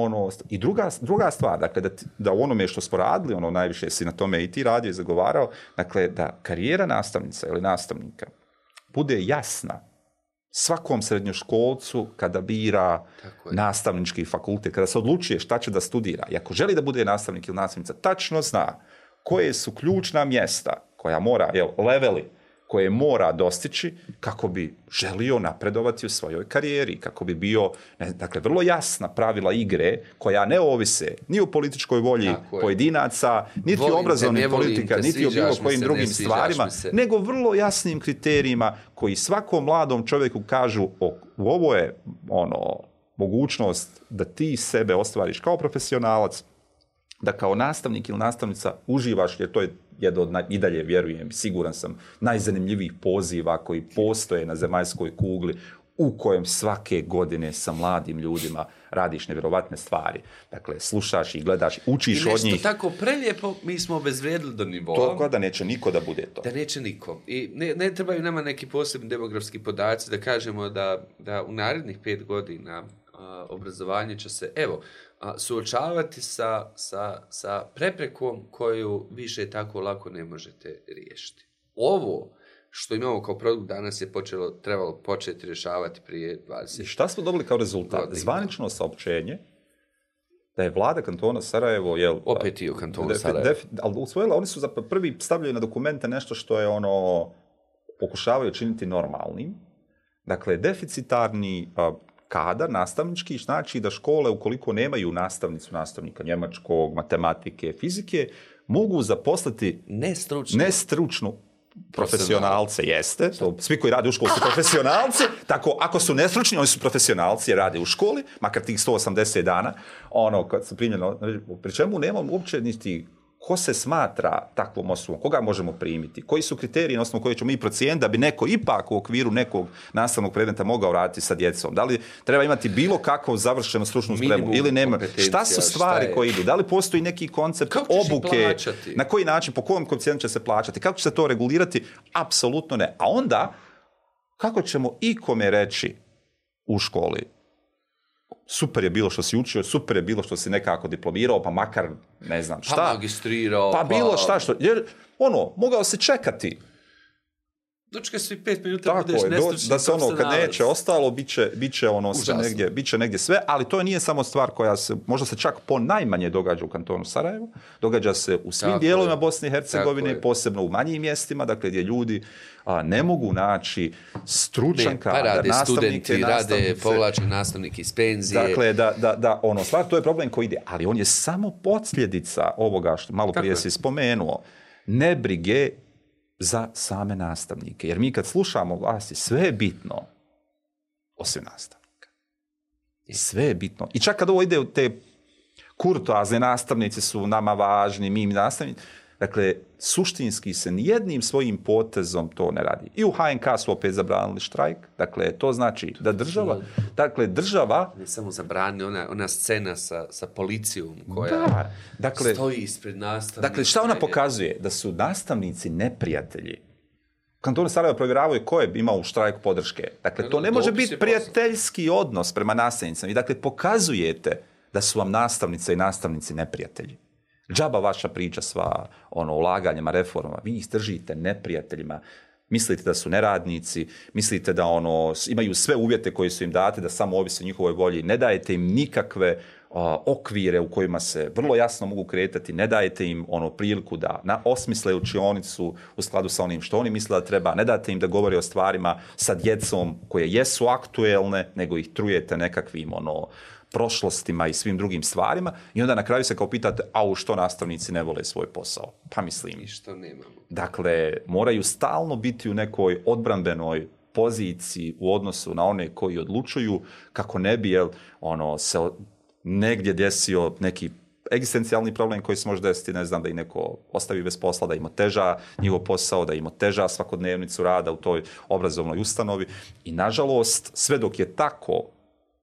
i druga stvar, dakle, da u onome što smo radili, najviše si na tome i ti radio i zagovarao, dakle, da karijera nastavnica ili nastavnika bude jasna svakom srednjoškolcu kada bira nastavnički fakultet, kada se odlučuje šta će da studira. I ako želi da bude nastavnik ili nastavnica, tačno zna koje su ključna mjesta koja mora, leveli koje mora dostići kako bi želio napredovati u svojoj karijeri, kako bi bio, dakle, vrlo jasna pravila igre koja ne ovise ni o političkoj volji pojedinaca, niti o obrazovnih politika, niti o bilo kojim drugim stvarima, nego vrlo jasnim kriterijima koji svakom mladom čovjeku kažu ovo je mogućnost da ti sebe ostvariš kao profesionalac, da kao nastavnik ili nastavnica uživaš, jer to je jedan od, i dalje vjerujem, siguran sam, najzanimljivijih poziva koji postoje na zemaljskoj kugli, u kojem svake godine sa mladim ljudima radiš nevjerovatne stvari. Dakle, slušaš i gledaš, učiš od njih. I nešto tako prelijepo mi smo obezvrijedili do nivoa. To da neće niko da bude to. Da neće niko. I ne trebaju nama neki posebni demografski podaci da kažemo da u narednih 5 godina obrazovanje će se, suočavati sa preprekom koju više tako lako ne možete riješiti. Ovo što imamo kao produkt danas je trebalo početi rješavati prije 20. I šta smo dobili kao rezultat? Zvanično saopćenje da je vlada kantona Sarajevo... Opet i u kantonu Sarajevo. Ali usvojila, oni su prvi stavljaju na dokumente nešto što je pokušavaju činiti normalnim. Dakle, deficitarni kadar nastavnički znači da škole, ukoliko nemaju nastavnika njemačkog, matematike, fizike, mogu zaposliti nestručnu profesionalce, jeste. Svi koji rade u školi su profesionalci, tako ako su nestručni, oni su profesionalci jer rade u školi, makar tih 180 dana, kad su primljeno, pri čemu nemamo uopće niti ko se smatra takvom osobom, koga možemo primiti, koji su kriteriji na osnovu koje ćemo mi procijeniti da bi neko ipak u okviru nekog nastavnog predmeta mogao raditi sa djecom. Da li treba imati bilo kakvu završenu stručnu spremu ili nema? Šta su stvari koje idu? Da li postoji neki koncept obuke? Na koji način, po kojem koeficijentu će se plaćati? Kako će se to regulirati? Apsolutno ne. A onda, kako ćemo ikome reći u školi? Super je bilo što si učio, super je bilo što si nekako diplomirao, pa makar, ne znam šta. Pa magistrirao. Pa bilo šta što, jer, mogao se čekati. Dočekaj svi 5 minuta, budeš nestručni. Da se kad neće ostalo, bit će negdje sve, ali to nije samo stvar koja se, možda se čak ponajmanje događa u kantonu Sarajevu, događa se u svim dijelovima Bosne i Hercegovine, posebno u manjim mjestima, dakle gdje ljudi ne mogu naći stručan kadar, rade studenti, rade povlačni nastavniki iz penzije. Dakle, stvar, to je problem koji ide, ali on je samo posljedica ovoga što malo prije si spomenuo, nebrige za same nastavnike. Jer mi kad slušamo vlasti, sve je bitno, osim nastavnika. Sve je bitno. I čak kad ovo ide u te kurtoazne nastavnici su nama važni, mi nastavnici, Dakle, suštinski se nijednim svojim potezom to ne radi. I u HNK su opet zabranili štrajk. Dakle, to znači da država... Ne samo zabrani, ona scena sa policijom koja stoji ispred nastavnika. Dakle, šta ona pokazuje? Da su nastavnici neprijatelji. Kantonu Sarajevo provjeravaju ko je imao u štrajku podrške. Dakle, to ne može biti prijateljski odnos prema nastavnicima. I dakle, pokazujete da su vam nastavnice i nastavnici neprijatelji. Džaba vaša priča sva o ulaganjima, reformama. Vi ih držite neprijateljima. Mislite da su neradnici, mislite da imaju sve uvjete koje su im date, da samo ovise o njihovoj volji. Ne dajete im nikakve okvire u kojima se vrlo jasno mogu kretati, ne dajete im priliku da osmisle učionicu u skladu sa onim što oni misle da treba, ne date im da govore o stvarima sa djecom koje jesu aktuelne, nego ih trujete nekakvim prošlostima i svim drugim stvarima i onda na kraju se kao pitate, što nastavnici ne vole svoj posao? Pa mislim. I što nemamo. Dakle, moraju stalno biti u nekoj odbrambenoj poziciji u odnosu na one koji odlučuju kako ne bi se negdje desio neki egzistencijalni problem koji se može desiti, ne znam, da ih neko ostavi bez posla, da im oteža njihov posao, da im oteža svakodnevnicu rada u toj obrazovnoj ustanovi. I nažalost, sve dok je tako,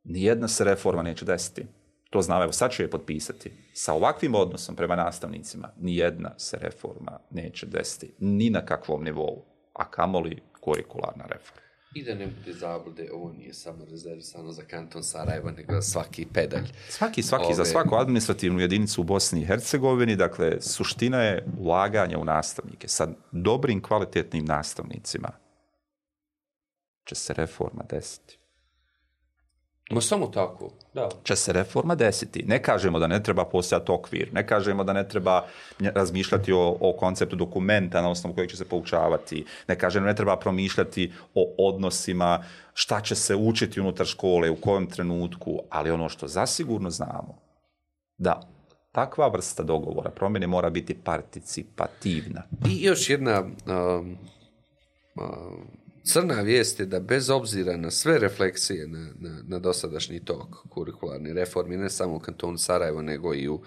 nijedna se reforma neće desiti. To znam, evo sad ću je potpisati. Sa ovakvim odnosom prema nastavnicima, nijedna se reforma neće desiti. Ni na kakvom nivou. A kamoli kurikularna reforma. I da ne bude zablude, ovo nije samo rezervisano za kanton Sarajevo, nego za svaki pedalj. Svaki, za svaku administrativnu jedinicu u Bosni i Hercegovini. Dakle, suština je ulaganja u nastavnike. Sa dobrim, kvalitetnim nastavnicima će se reforma desiti. No samo tako, da. Će se reforma desiti. Ne kažemo da ne treba postojati okvir, ne kažemo da ne treba razmišljati o konceptu dokumenta na osnovu kojeg će se poučavati, ne kažemo da ne treba promišljati o odnosima, šta će se učiti unutar škole, u kojem trenutku, ali ono što zasigurno znamo, da takva vrsta dogovora, promjene mora biti participativna. I još jedna... crna vijest je da bez obzira na sve refleksije na dosadašnji tok kurikularne reforme, ne samo u kantonu Sarajevo, nego i u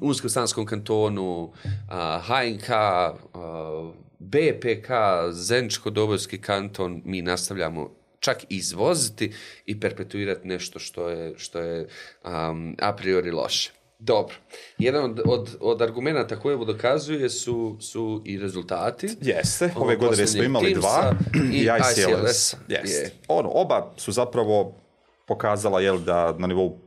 Unsko-Sanskom kantonu, HNK, BPK, Zeničko-Dobojski kanton, mi nastavljamo čak izvoziti i perpetuirati nešto što je a priori loše. Dobro. Jedan od argumenta koje ovo dokazuje su i rezultati. Jeste. Ove godine smo imali dva i ICLS. Oba su zapravo pokazala da na nivou,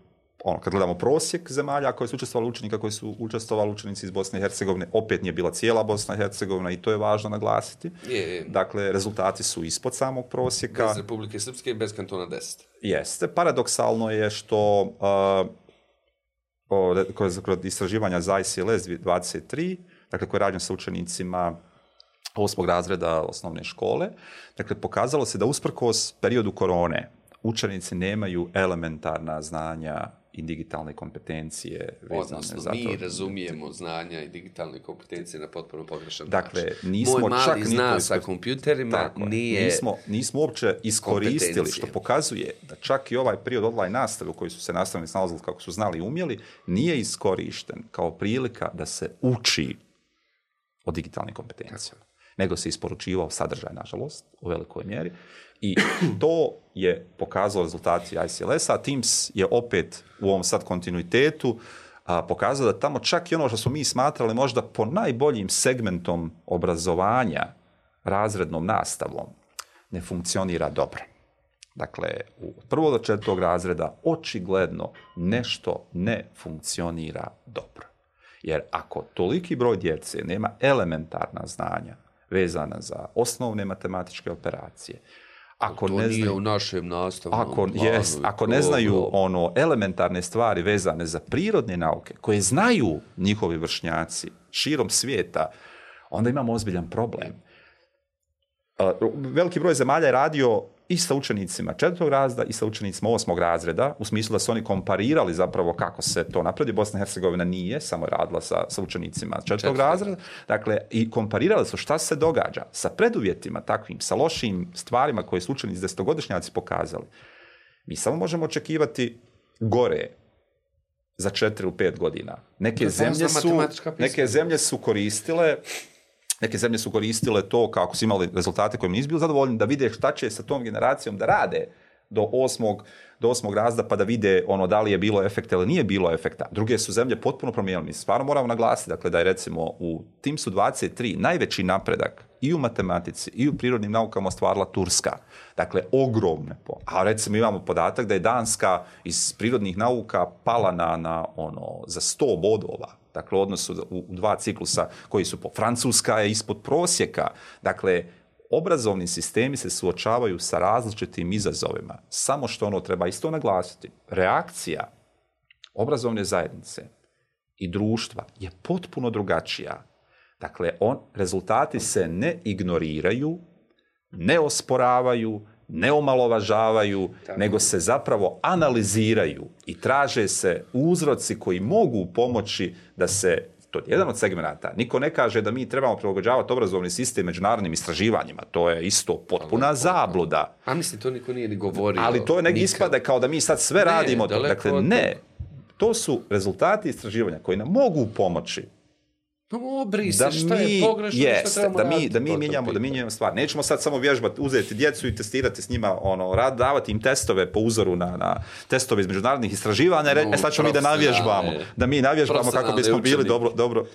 kad gledamo prosjek zemalja koje su učestvovali učenika, koji su učestvovali učenici iz Bosne i Hercegovine, opet nije bila cijela Bosna i Hercegovina i to je važno naglasiti. Dakle, rezultati su ispod samog prosjeka. Bez Republike Srpske i bez kantona 10. Jeste. Paradoksalno je što... kod istraživanja za ICLS 23, dakle koje je rađeno sa učenicima 8. razreda osnovne škole, dakle pokazalo se da usprkos periodu korone učenici nemaju elementarna znanja i digitalne kompetencije. Odnosno, mi razumijemo znanja i digitalne kompetencije na potpuno pogrešan način. Moj mali zna sa kompjuterima nismo uopće iskoristili, što pokazuje da čak i ovaj period online nastave u kojoj su se nastavnici nalazili kako su znali i umjeli, nije iskorišten kao prilika da se uči o digitalnim kompetencijama. Nego se isporučivao sadržaj, nažalost, u velikoj mjeri. I to je pokazalo rezultati ICLS-a. Teams je opet u ovom sad kontinuitetu pokazao da tamo čak i ono što smo mi smatrali možda po najboljim segmentom obrazovanja, razrednom nastavom, ne funkcionira dobro. Dakle, u 1. do 4. razreda očigledno nešto ne funkcionira dobro. Jer ako toliki broj djece nema elementarna znanja vezana za osnovne matematičke operacije, ako to ne nije u našem nastavnom planu. Ako ne znaju elementarne stvari vezane za prirodne nauke, koje znaju njihovi vršnjaci širom svijeta, onda imamo ozbiljan problem. Veliki broj zemalja je radio i sa učenicima 4. razreda i sa učenicima 8. razreda, u smislu da su oni komparirali zapravo kako se to napravi. Bosna i Hercegovina nije samo radila sa učenicima 4. razreda. Dakle, i komparirali su šta se događa sa preduvjetima takvim, sa lošim stvarima koje su učenici 10-godišnjaci pokazali. Mi samo možemo očekivati gore za 4 ili 5 godina. Neke zemlje su koristile to kako su imali rezultate kojim nisu bili zadovoljni, da vide šta će sa tom generacijom da rade do 8. razreda, pa da vide da li je bilo efekta ili nije bilo efekta. Druge su zemlje potpuno promijenile. Mi stvarno moramo naglasiti, dakle, da je recimo u TIMSS-u 23 najveći napredak i u matematici i u prirodnim naukama ostvarila Turska. Dakle, ogromne. A recimo imamo podatak da je Danska iz prirodnih nauka pala za 100 bodova. Dakle, u odnosu u 2 ciklusa koji su Francuska je ispod prosjeka. Dakle, obrazovni sistemi se suočavaju sa različitim izazovima. Samo što treba isto naglasiti. Reakcija obrazovne zajednice i društva je potpuno drugačija. Dakle, rezultati se ne ignoriraju, ne osporavaju, ne omalovažavaju, nego se zapravo analiziraju i traže se uzroci koji mogu pomoći da se, to je jedan od segmenata, niko ne kaže da mi trebamo prilagođavati obrazovni sistem međunarodnim istraživanjima, to je isto potpuna zabluda. A mislim, to niko nije ni govorio. Ali to je negdje ispada kao da mi sad sve radimo. Dakle, ne. To su rezultati istraživanja koji nam mogu pomoći da mi mijenjamo stvar. Nećemo sad samo vježbati, uzeti djecu i testirati s njima, davati im testove po uzoru na testove iz međunarodnih istraživanja, sad ćemo mi da mi navježbamo kako bismo bili dobro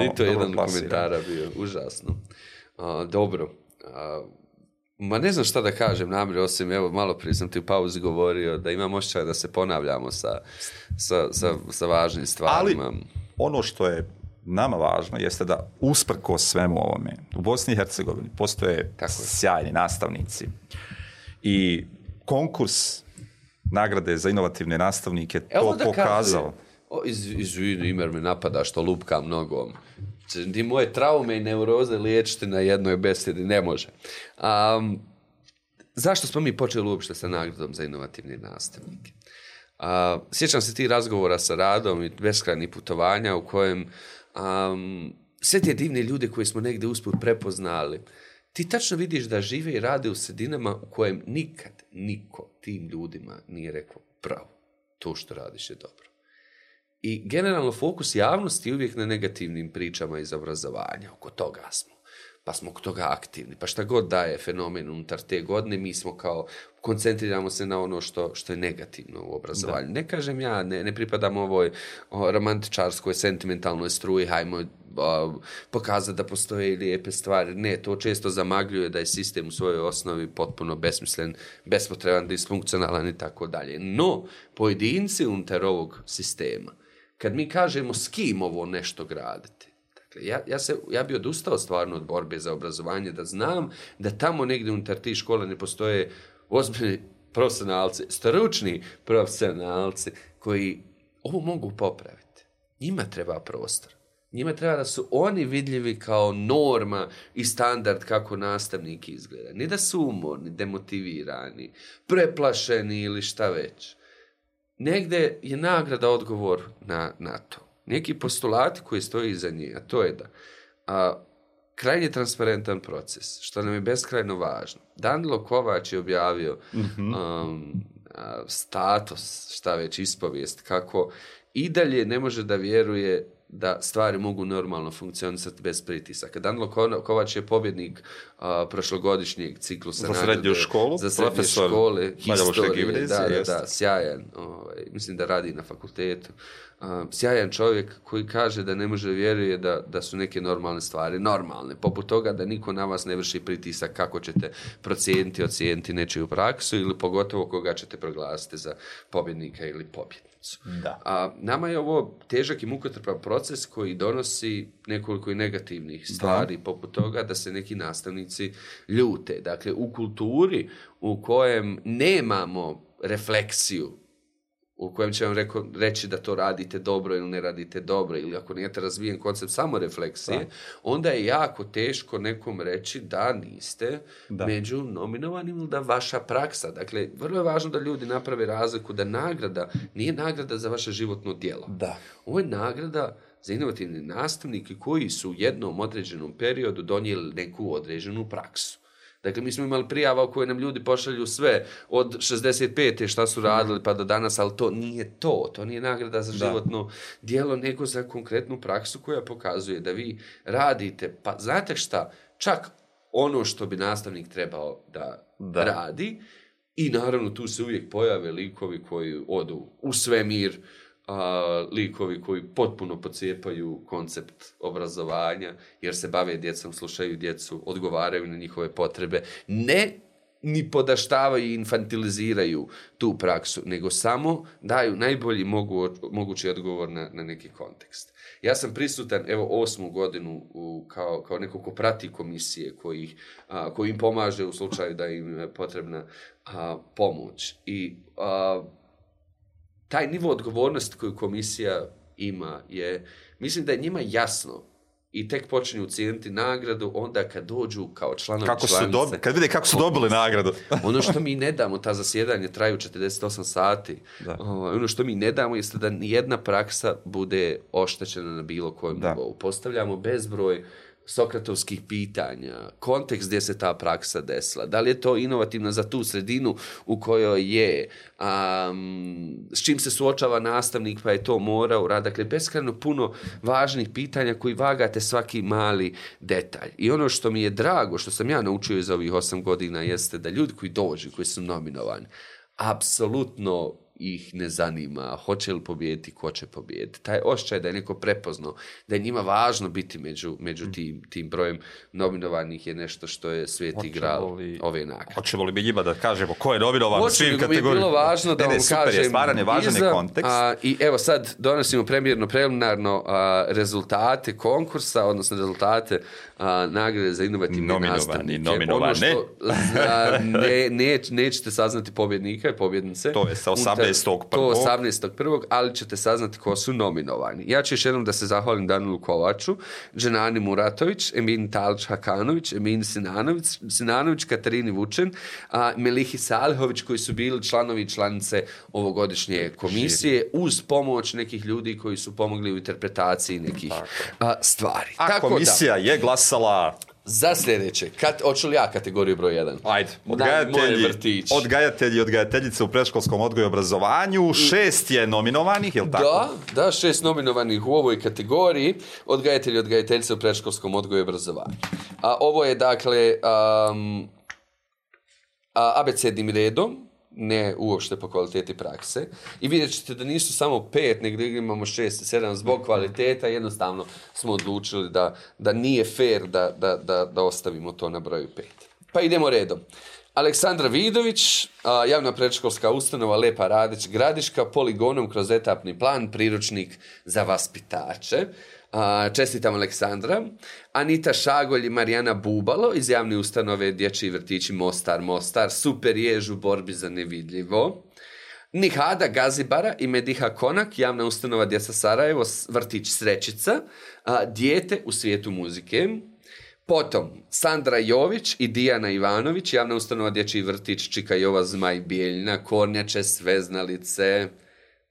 i to je jedan komentara bio, užasno. Dobro. Ma ne znam šta da kažem namjer, osim, evo, malo prije sam ti u pauzi govorio da imam osjećaj da se ponavljamo sa važnim stvarima. Ali ono što je nama važno jeste da usprkos svemu ovome u Bosni i Hercegovini postoje sjajni nastavnici i konkurs nagrade za inovativne nastavnike to pokazao. Izvini, Imer me napada što lupkam nogom. Ti moje traume i neuroze liječiti na jednoj besedi ne može. Zašto smo mi počeli uopšte sa nagradom za inovativne nastavnike? Sjećam se ti razgovora sa Radom i beskrajnih putovanja u kojem sve te divne ljude koje smo negdje usput prepoznali, ti tačno vidiš da žive i rade u sredinama u kojem nikad niko tim ljudima nije rekao bravo, to što radiš je dobro. I generalno fokus javnosti je uvijek na negativnim pričama iz obrazovanja, oko toga smo. Pa smo oko toga aktivni, pa šta god daje fenomen unutar te godine, mi smo kao, koncentriramo se na ono što je negativno u obrazovanju. Da. Ne kažem ja, ne pripadam ovoj romantičarskoj, sentimentalnoj struji, hajmo pokazati da postoje lijepe stvari. Ne, to često zamagljuje da je sistem u svojoj osnovi potpuno besmislen, bespotreban, disfunkcionalan i tako dalje. No, pojedinci unutar ovog sistema, kad mi kažemo s kim ovo nešto graditi, ja bi odustao stvarno od borbe za obrazovanje, da znam da tamo negdje unutar tih škola ne postoje ozbiljni profesionalci, stručni profesionalci koji ovo mogu popraviti. Njima treba prostor. Njima treba da su oni vidljivi kao norma i standard kako nastavnik izgleda. Ne da su umorni, demotivirani, preplašeni ili šta već. Negdje je nagrada odgovor na to. Neki postulati koji stoji iza nje, a to je da krajnje transparentan proces, što nam je beskrajno važno. Danilo Kovač je objavio status, šta već, ispovijest, kako i dalje ne može da vjeruje da stvari mogu normalno funkcionisati bez pritisaka. Danilo Kovač je pobjednik prošlogodišnjeg ciklusa za srednju školu, za srednje škole, historije, da, sjajan. Mislim da radi na fakultetu. Sjajan čovjek koji kaže da ne može vjeruje da su neke normalne stvari normalne, poput toga da niko na vas ne vrši pritisak kako ćete ocijeniti nečiju praksu ili pogotovo koga ćete proglasiti za pobjednika ili pobjednicu. Da. Nama je ovo težak i mukotrpan proces koji donosi nekoliko i negativnih stvari, poput toga da se neki nastavnici ljute. Dakle, u kulturi u kojem nemamo refleksiju, u kojem će vam reći da to radite dobro ili ne radite dobro, ili ako nijete razvijen koncept samorefleksije, onda je jako teško nekom reći da niste među nominovanim ili da vaša praksa. Dakle, vrlo je važno da ljudi naprave razliku da nagrada nije nagrada za vaše životno djelo. Da. Ovo je nagrada za inovativne nastavnike koji su u jednom određenom periodu donijeli neku određenu praksu. Dakle, mi smo imali prijava u kojoj nam ljudi pošalju sve od 65. šta su radili pa do danas, ali to nije to. To nije nagrada za životno djelo, nego za konkretnu praksu koja pokazuje da vi radite. Pa znate šta? Čak ono što bi nastavnik trebao da radi. I naravno tu se uvijek pojave likovi koji odu u svemir, likovi koji potpuno pocijepaju koncept obrazovanja jer se bave djecom, slušaju djecu, odgovaraju na njihove potrebe, ne ni podaštavaju i infantiliziraju tu praksu, nego samo daju najbolji mogući odgovor na neki kontekst. Ja sam prisutan, 8. godinu kao neko ko prati komisije koji im pomaže u slučaju da im je potrebna pomoć. I taj nivo odgovornosti koju komisija ima mislim da je njima jasno i tek počinju cijeniti nagradu onda kad dođu kao članovi članice. Kad vide kako su dobili nagradu. Ono što mi ne damo, ta zasjedanje traju 48 sati. Ono što mi ne damo jeste da nijedna praksa bude oštećena na bilo kojem nivou. Postavljamo bezbroj sokratovskih pitanja, kontekst gdje se ta praksa desila, da li je to inovativno za tu sredinu u kojoj je, s čim se suočava nastavnik pa je to morao raditi. Dakle, beskrajno puno važnih pitanja koji vagate svaki mali detalj. I ono što mi je drago, što sam ja naučio iz ovih 8 godina, jeste da ljudi koji dođu, koji su nominovani, apsolutno ih ne zanima hoće li pobijediti, ko će pobijediti. Taj osjećaj da je neko prepoznao, da je njima važno biti među tim brojem nominovanih je nešto što je sveti gral ove nagrade. Hoćemo li mi njima da kažemo ko je nominovan u svim kategorijama? Mi je bilo važno da vam kažem. Stvaran je važan je kontekst. I evo sad donosimo preliminarno rezultate konkursa, odnosno rezultate nagrade za inovativne nastavnike. Nominovane. Nećete saznati pobjednika i pobjednice. To je sa 18.1. ali ćete saznati ko su nominovani. Ja ću još jednom da se zahvalim Danilu Kovaču, Dženani Muratović, Emin Talić-Hakanović, Emin Sinanović, Katarini Vučen, Melihi Salihović, koji su bili članovi i članice ovogodišnje komisije, uz pomoć nekih ljudi koji su pomogli u interpretaciji nekih stvari. Tako komisija je glasala za sljedeće. Hoću li ja kategoriju broj 1? Ajde. Odgajatelji i odgajateljice u predškolskom odgoju i obrazovanju. 6 je nominovanih, je li tako? Da, 6 nominovanih u ovoj kategoriji. Odgajatelji i odgajateljice u predškolskom odgoju i obrazovanju. Ovo je, dakle, abecednim redom, ne uopšte po kvaliteti prakse. I vidjet ćete da nisu samo 5, nego imamo 6 i 7 zbog kvaliteta. Jednostavno smo odlučili da nije fair da ostavimo to na broju 5. Pa idemo redom. Aleksandra Vidović, javna predškolska ustanova Lepa Radić Gradiška, poligonom kroz etapni plan, priručnik za vaspitače. Čestitam Aleksandra. Anita Šagolj i Marijana Bubalo iz javne ustanove Dječji vrtići Mostar, super jež u borbi za nevidljivo. Nihada Gazibara i Mediha Konak, javna ustanova Djeca Sarajevo, vrtić Srećica, dijete u svijetu muzike. Potom Sandra Jović i Dijana Ivanović, javna ustanova Dječji vrtić Čika Jova Zmaj Bijeljna, Kornjače, Sveznalice.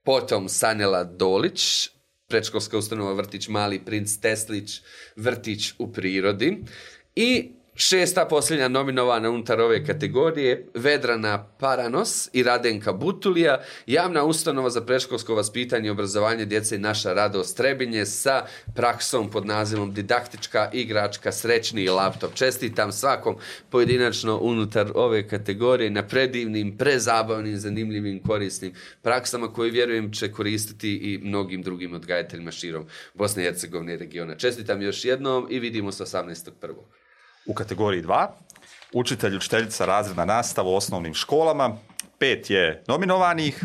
Potom Sanjela Dolić, predškolska ustanova vrtić Mali princ Teslić, vrtić u prirodi. I 6. posljednja nominovana unutar ove kategorije, Vedrana Paranos i Radenka Butulija, javna ustanova za predškolsko vaspitanje i obrazovanje djece Naša radost Trebinje sa praksom pod nazivom Didaktička igračka Srećni laptop. Čestitam svakom pojedinačno unutar ove kategorije na predivnim, prezabavnim, zanimljivim, korisnim praksama koje vjerujem će koristiti i mnogim drugim odgajateljima širom Bosne i Hercegovine i regiona. Čestitam još jednom i vidimo se 18.1. U kategoriji 2, učitelj, učiteljica, razredna nastava u osnovnim školama, 5 je nominovanih.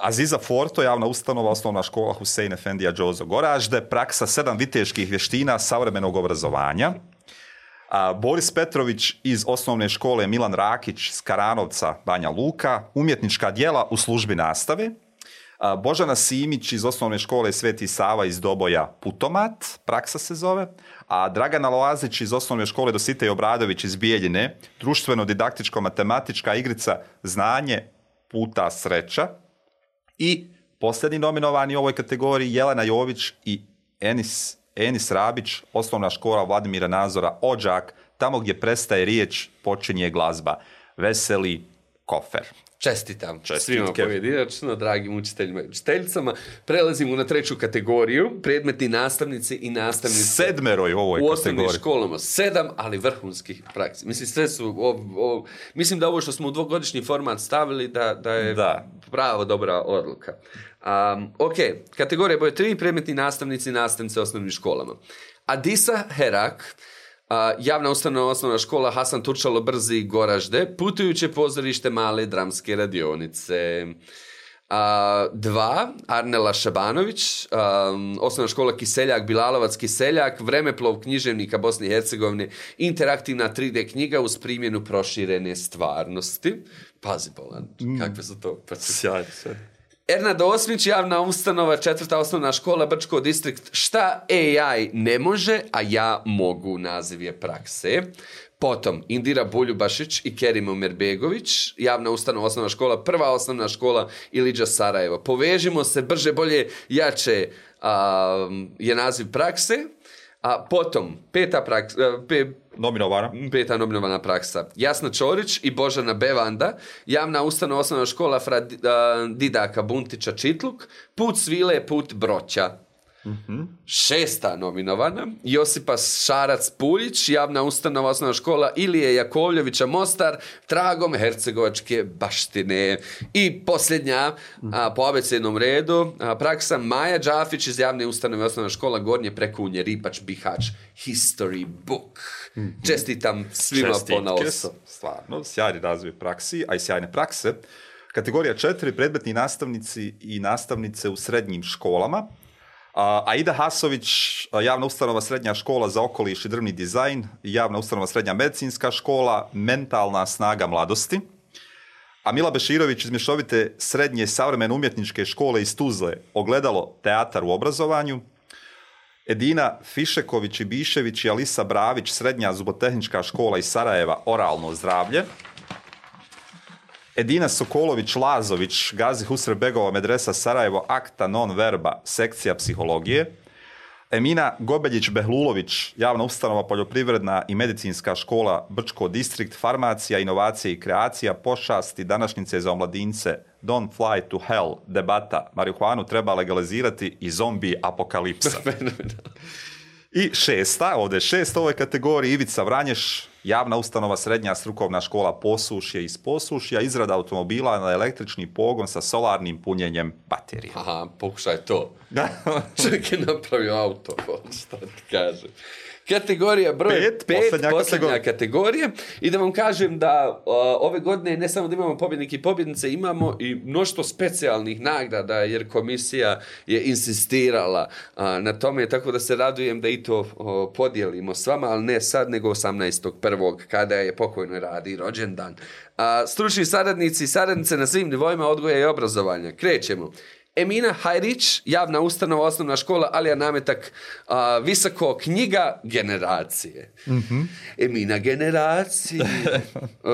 Aziza Forto, javna ustanova, osnovna škola Husein Efendija Džozo Goražde, praksa 7 viteških vještina savremenog obrazovanja. Boris Petrović iz osnovne škole Milan Rakić iz Karanovca, Banja Luka, umjetnička djela u službi nastave. Božana Simić iz osnovne škole Sveti Sava iz Doboja Putomat, praksa se zove, a Dragana Loazić iz osnovne škole Dositej Obradović iz Bijeljine, društveno-didaktičko-matematička igrica Znanje puta sreća. I posljednji nominovani u ovoj kategoriji Jelena Jović i Enis Rabić, osnovna škola Vladimira Nazora Odžak, tamo gdje prestaje riječ, počinje glazba. Veseli kofer. Čestitam Čestitke. svima pojedinačno, dragim učiteljima i učiteljicama. Prelazimo na 3. kategoriju, predmetni nastavnici i nastavnice. 7 u ovoj u osnovnim kategoriji. školama. 7, ali vrhunskih praksi. Mislim, sve su... mislim da ovo što smo u 2-godišnji format stavili, da je pravo dobra odluka. Ok, kategorija broj 3, predmetni nastavnici i nastavnice u osnovnim školama. Adisa Herak, javna ustanova osnovna škola Hasan Turčalo Brzi Goražde, putujuće pozorište Male dramske radionice. 2. Arnela Šabanović, osnovna škola Kiseljak, Bilalovac Kiseljak, vremeplov književnika Bosne i Hercegovine, interaktivna 3D knjiga uz primjenu proširene stvarnosti. Pazi, Bolan, kakve su to? Sjajno. Ernad Osmić, javna ustanova, 4. osnovna škola, Brčko distrikt. Šta AI ne može, a ja mogu, naziv je prakse. Potom, Indira Buljubašić i Kerimo Merbegović, javna ustanova, osnovna škola, 1. osnovna škola Ilidža Sarajevo. Povežimo se, brže, bolje, jače je naziv prakse. A potom, 5. nominovana praksa. Jasna Čorić i Božana Bevanda, javna ustanova, osnovna škola Didaka Buntića Čitluk, Put svile, put broća. 6. nominovana, Josipa Šarac Puljić, javna ustanova, osnovna škola Ilije Jakovljevića Mostar, tragom hercegovačke baštine. I posljednja, po abecednom redu, praksa Maja Đafić iz javne ustanove, osnovna škola Gornje Prekunje, Ripač, Bihać, History Book. Čestitam svima ponaosob. Stvarno, sjajni razvoj praksi, a i sjajne prakse. Kategorija 4, predmetni nastavnici i nastavnice u srednjim školama. Aida Hasović, javna ustanova srednja škola za okoliš i drvni dizajn, javna ustanova srednja medicinska škola, mentalna snaga mladosti. A Mila Beširović iz mješovite srednje savremene umjetničke škole iz Tuzle, ogledalo teatar u obrazovanju. Edina Fišeković i Bišević i Alisa Bravić, srednja zubotehnička škola iz Sarajeva, oralno zdravlje. Edina Sokolović-Lazović, Gazi Husrebegova medresa Sarajevo, akta non verba, sekcija psihologije. Emina Gobeljić-Behlulović, javna ustanova poljoprivredna i medicinska škola Brčko distrikt, farmacija, inovacije i kreacija, pošasti, današnjice za omladince, Don't fly to hell, debata, marihuanu treba legalizirati i zombi apokalipsa. I 6. ovdje 6. ovoj kategoriji, Ivica Vranješ, javna ustanova srednja strukovna škola Posušje iz Posušja, izrada automobila na električni pogon sa solarnim punjenjem baterije. Aha, pokušaj to. Čovjek je napravio auto, šta ti kažem. Kategorija broj 5, posljednja kategorija. I da vam kažem da ove godine ne samo da imamo pobjednike i pobjednice, imamo i mnoštvo specijalnih nagrada, jer komisija je insistirala na tome, tako da se radujem da i to podijelimo s vama, ali ne sad, nego 18.1. kada je pokojnoj Radi rođendan. Stručni saradnici i saradnice na svim nivoima odgoja i obrazovanja. Krećemo. Emina Hajrić, javna ustanova, osnovna škola Alija Nametak, visoko knjiga generacije. Emina generacije.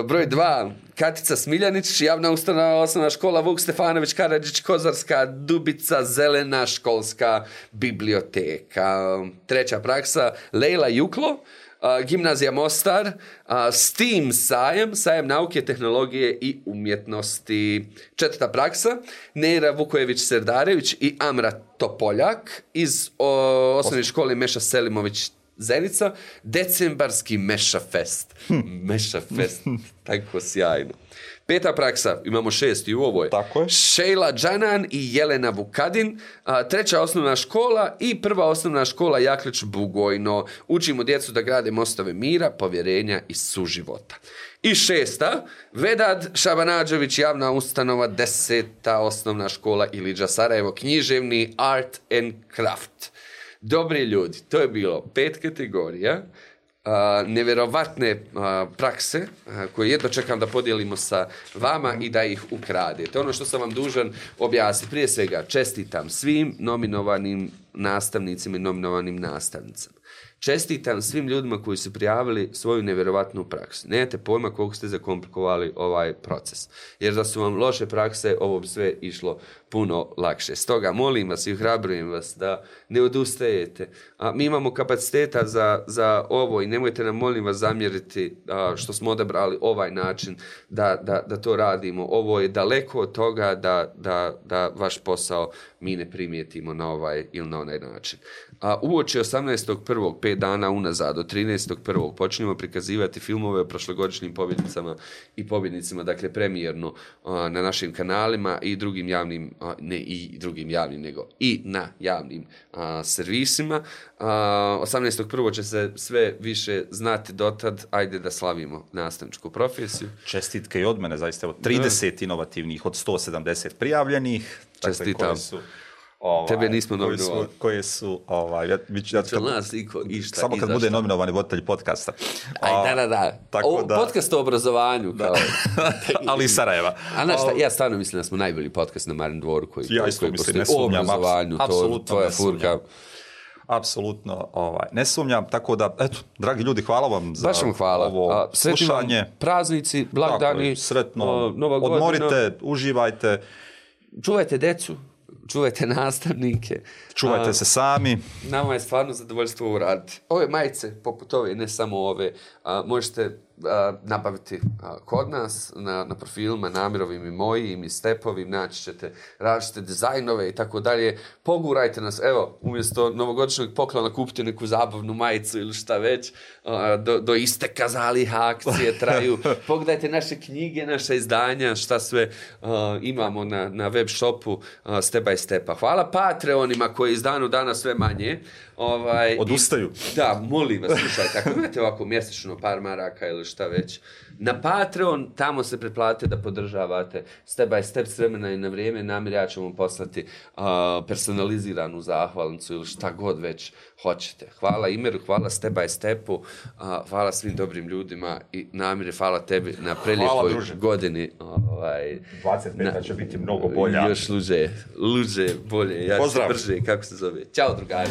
Broj 2, Katica Smiljanić, javna ustanova, osnovna škola Vuk Stefanović Karadžić, Kozarska Dubica, zelena školska biblioteka. 3. praksa, Lejla Juklo, Gimnazija Mostar, STEAM sajam nauke, tehnologije i umjetnosti. 4. praksa, Neira Vukojević-Serdarević i Amra Topoljak iz osnovne škole Meša Selimović Zenica, decembarski Meša Fest. Meša Fest, tako sjajno. 5. praksa, imamo 6. u ovoj. Tako je. Šejla Džanan i Jelena Vukadin. 3. osnovna škola i 1. osnovna škola Jaklić Bugojno. Učimo djecu da grade mostove mira, povjerenja i suživota. I 6. Vedad Šabanađević, javna ustanova, 10. osnovna škola Ilidža Sarajevo, književni art and craft. Dobri ljudi, to je bilo 5 kategorija. Nevjerovatne prakse koje jedno čekam da podijelimo sa vama i da ih ukradete. Ono što sam vam dužan objasniti, prije svega čestitam svim nominovanim nastavnicima i nominovanim nastavnicama. Čestitam svim ljudima koji su prijavili svoju nevjerovatnu praksu. Nemate pojma koliko ste zakomplikovali ovaj proces. Jer da su vam loše prakse, ovo bi sve išlo puno lakše. Stoga molim vas i ohrabrujem vas da ne odustajete. Mi imamo kapaciteta za ovo i nemojte nam, molim vas, zamjeriti što smo odabrali ovaj način da to radimo. Ovo je daleko od toga da vaš posao mi ne primijetimo na ovaj ili na onaj način. Uoči 18.1. 5 dana unazad, od 13.1. počinjemo prikazivati filmove o prošlogodišnjim pobjednicama i pobjednicima, dakle premijerno na našim kanalima i drugim javnim, ne i drugim javnim, nego i na javnim servisima. 18.1. će se sve više znati, dotad, ajde da slavimo nastavničku profesiju. Čestitke i od mene, zaista, 30 inovativnih od 170 prijavljenih. Čestitam. Dakle, tebe nismo nominovali. Koje su samo kad bude nominovani voditelj podcasta. Da. Podcast o obrazovanju. Kao. Ali iz Sarajeva. Ja stvarno mislim da smo najbolji podcast na Marin dvoru koji postoji. Ne sumnjam, o obrazovanju. Tvoja furka. Apsolutno, ne sumnjam, tako da, eto, dragi ljudi, hvala vam za ovo slušanje. Praznici, blagdani, sretno, Nova godina. Odmorite, uživajte. Čuvajte decu. Čuvajte nastavnike. Čuvajte se sami. Nama je stvarno zadovoljstvo uraditi. Ove majice, poput ove, ne samo ove, možete nabaviti kod nas na profilima Namirovim i mojim i Stepovim, naći ćete različite dizajnove i tako dalje. Pogurajte nas, evo, umjesto novogodišnjeg poklona kupite neku zabavnu majicu ili šta već, do isteka zaliha akcije traju. Pogledajte naše knjige, naše izdanja, šta sve imamo na web shopu Step by Stepa. Hvala Patreonima koji iz dana u dana sve manje. Odustaju. Da, molim vas, slušajte, ako imate ovako mjesečno par maraka ili šta već, na Patreon, tamo se pretplatite da podržavate Step by Step s vremena i na vrijeme. Namir, ja ću vam poslati personaliziranu zahvalnicu ili šta god već hoćete. Hvala Imeru, hvala Step by Stepu, hvala svim dobrim ljudima i Namire, hvala tebi na prelijepoj godini. 25. će biti mnogo bolja. Još luđe, bolje, ja ću brže, kako se zove. Ćao, drugari.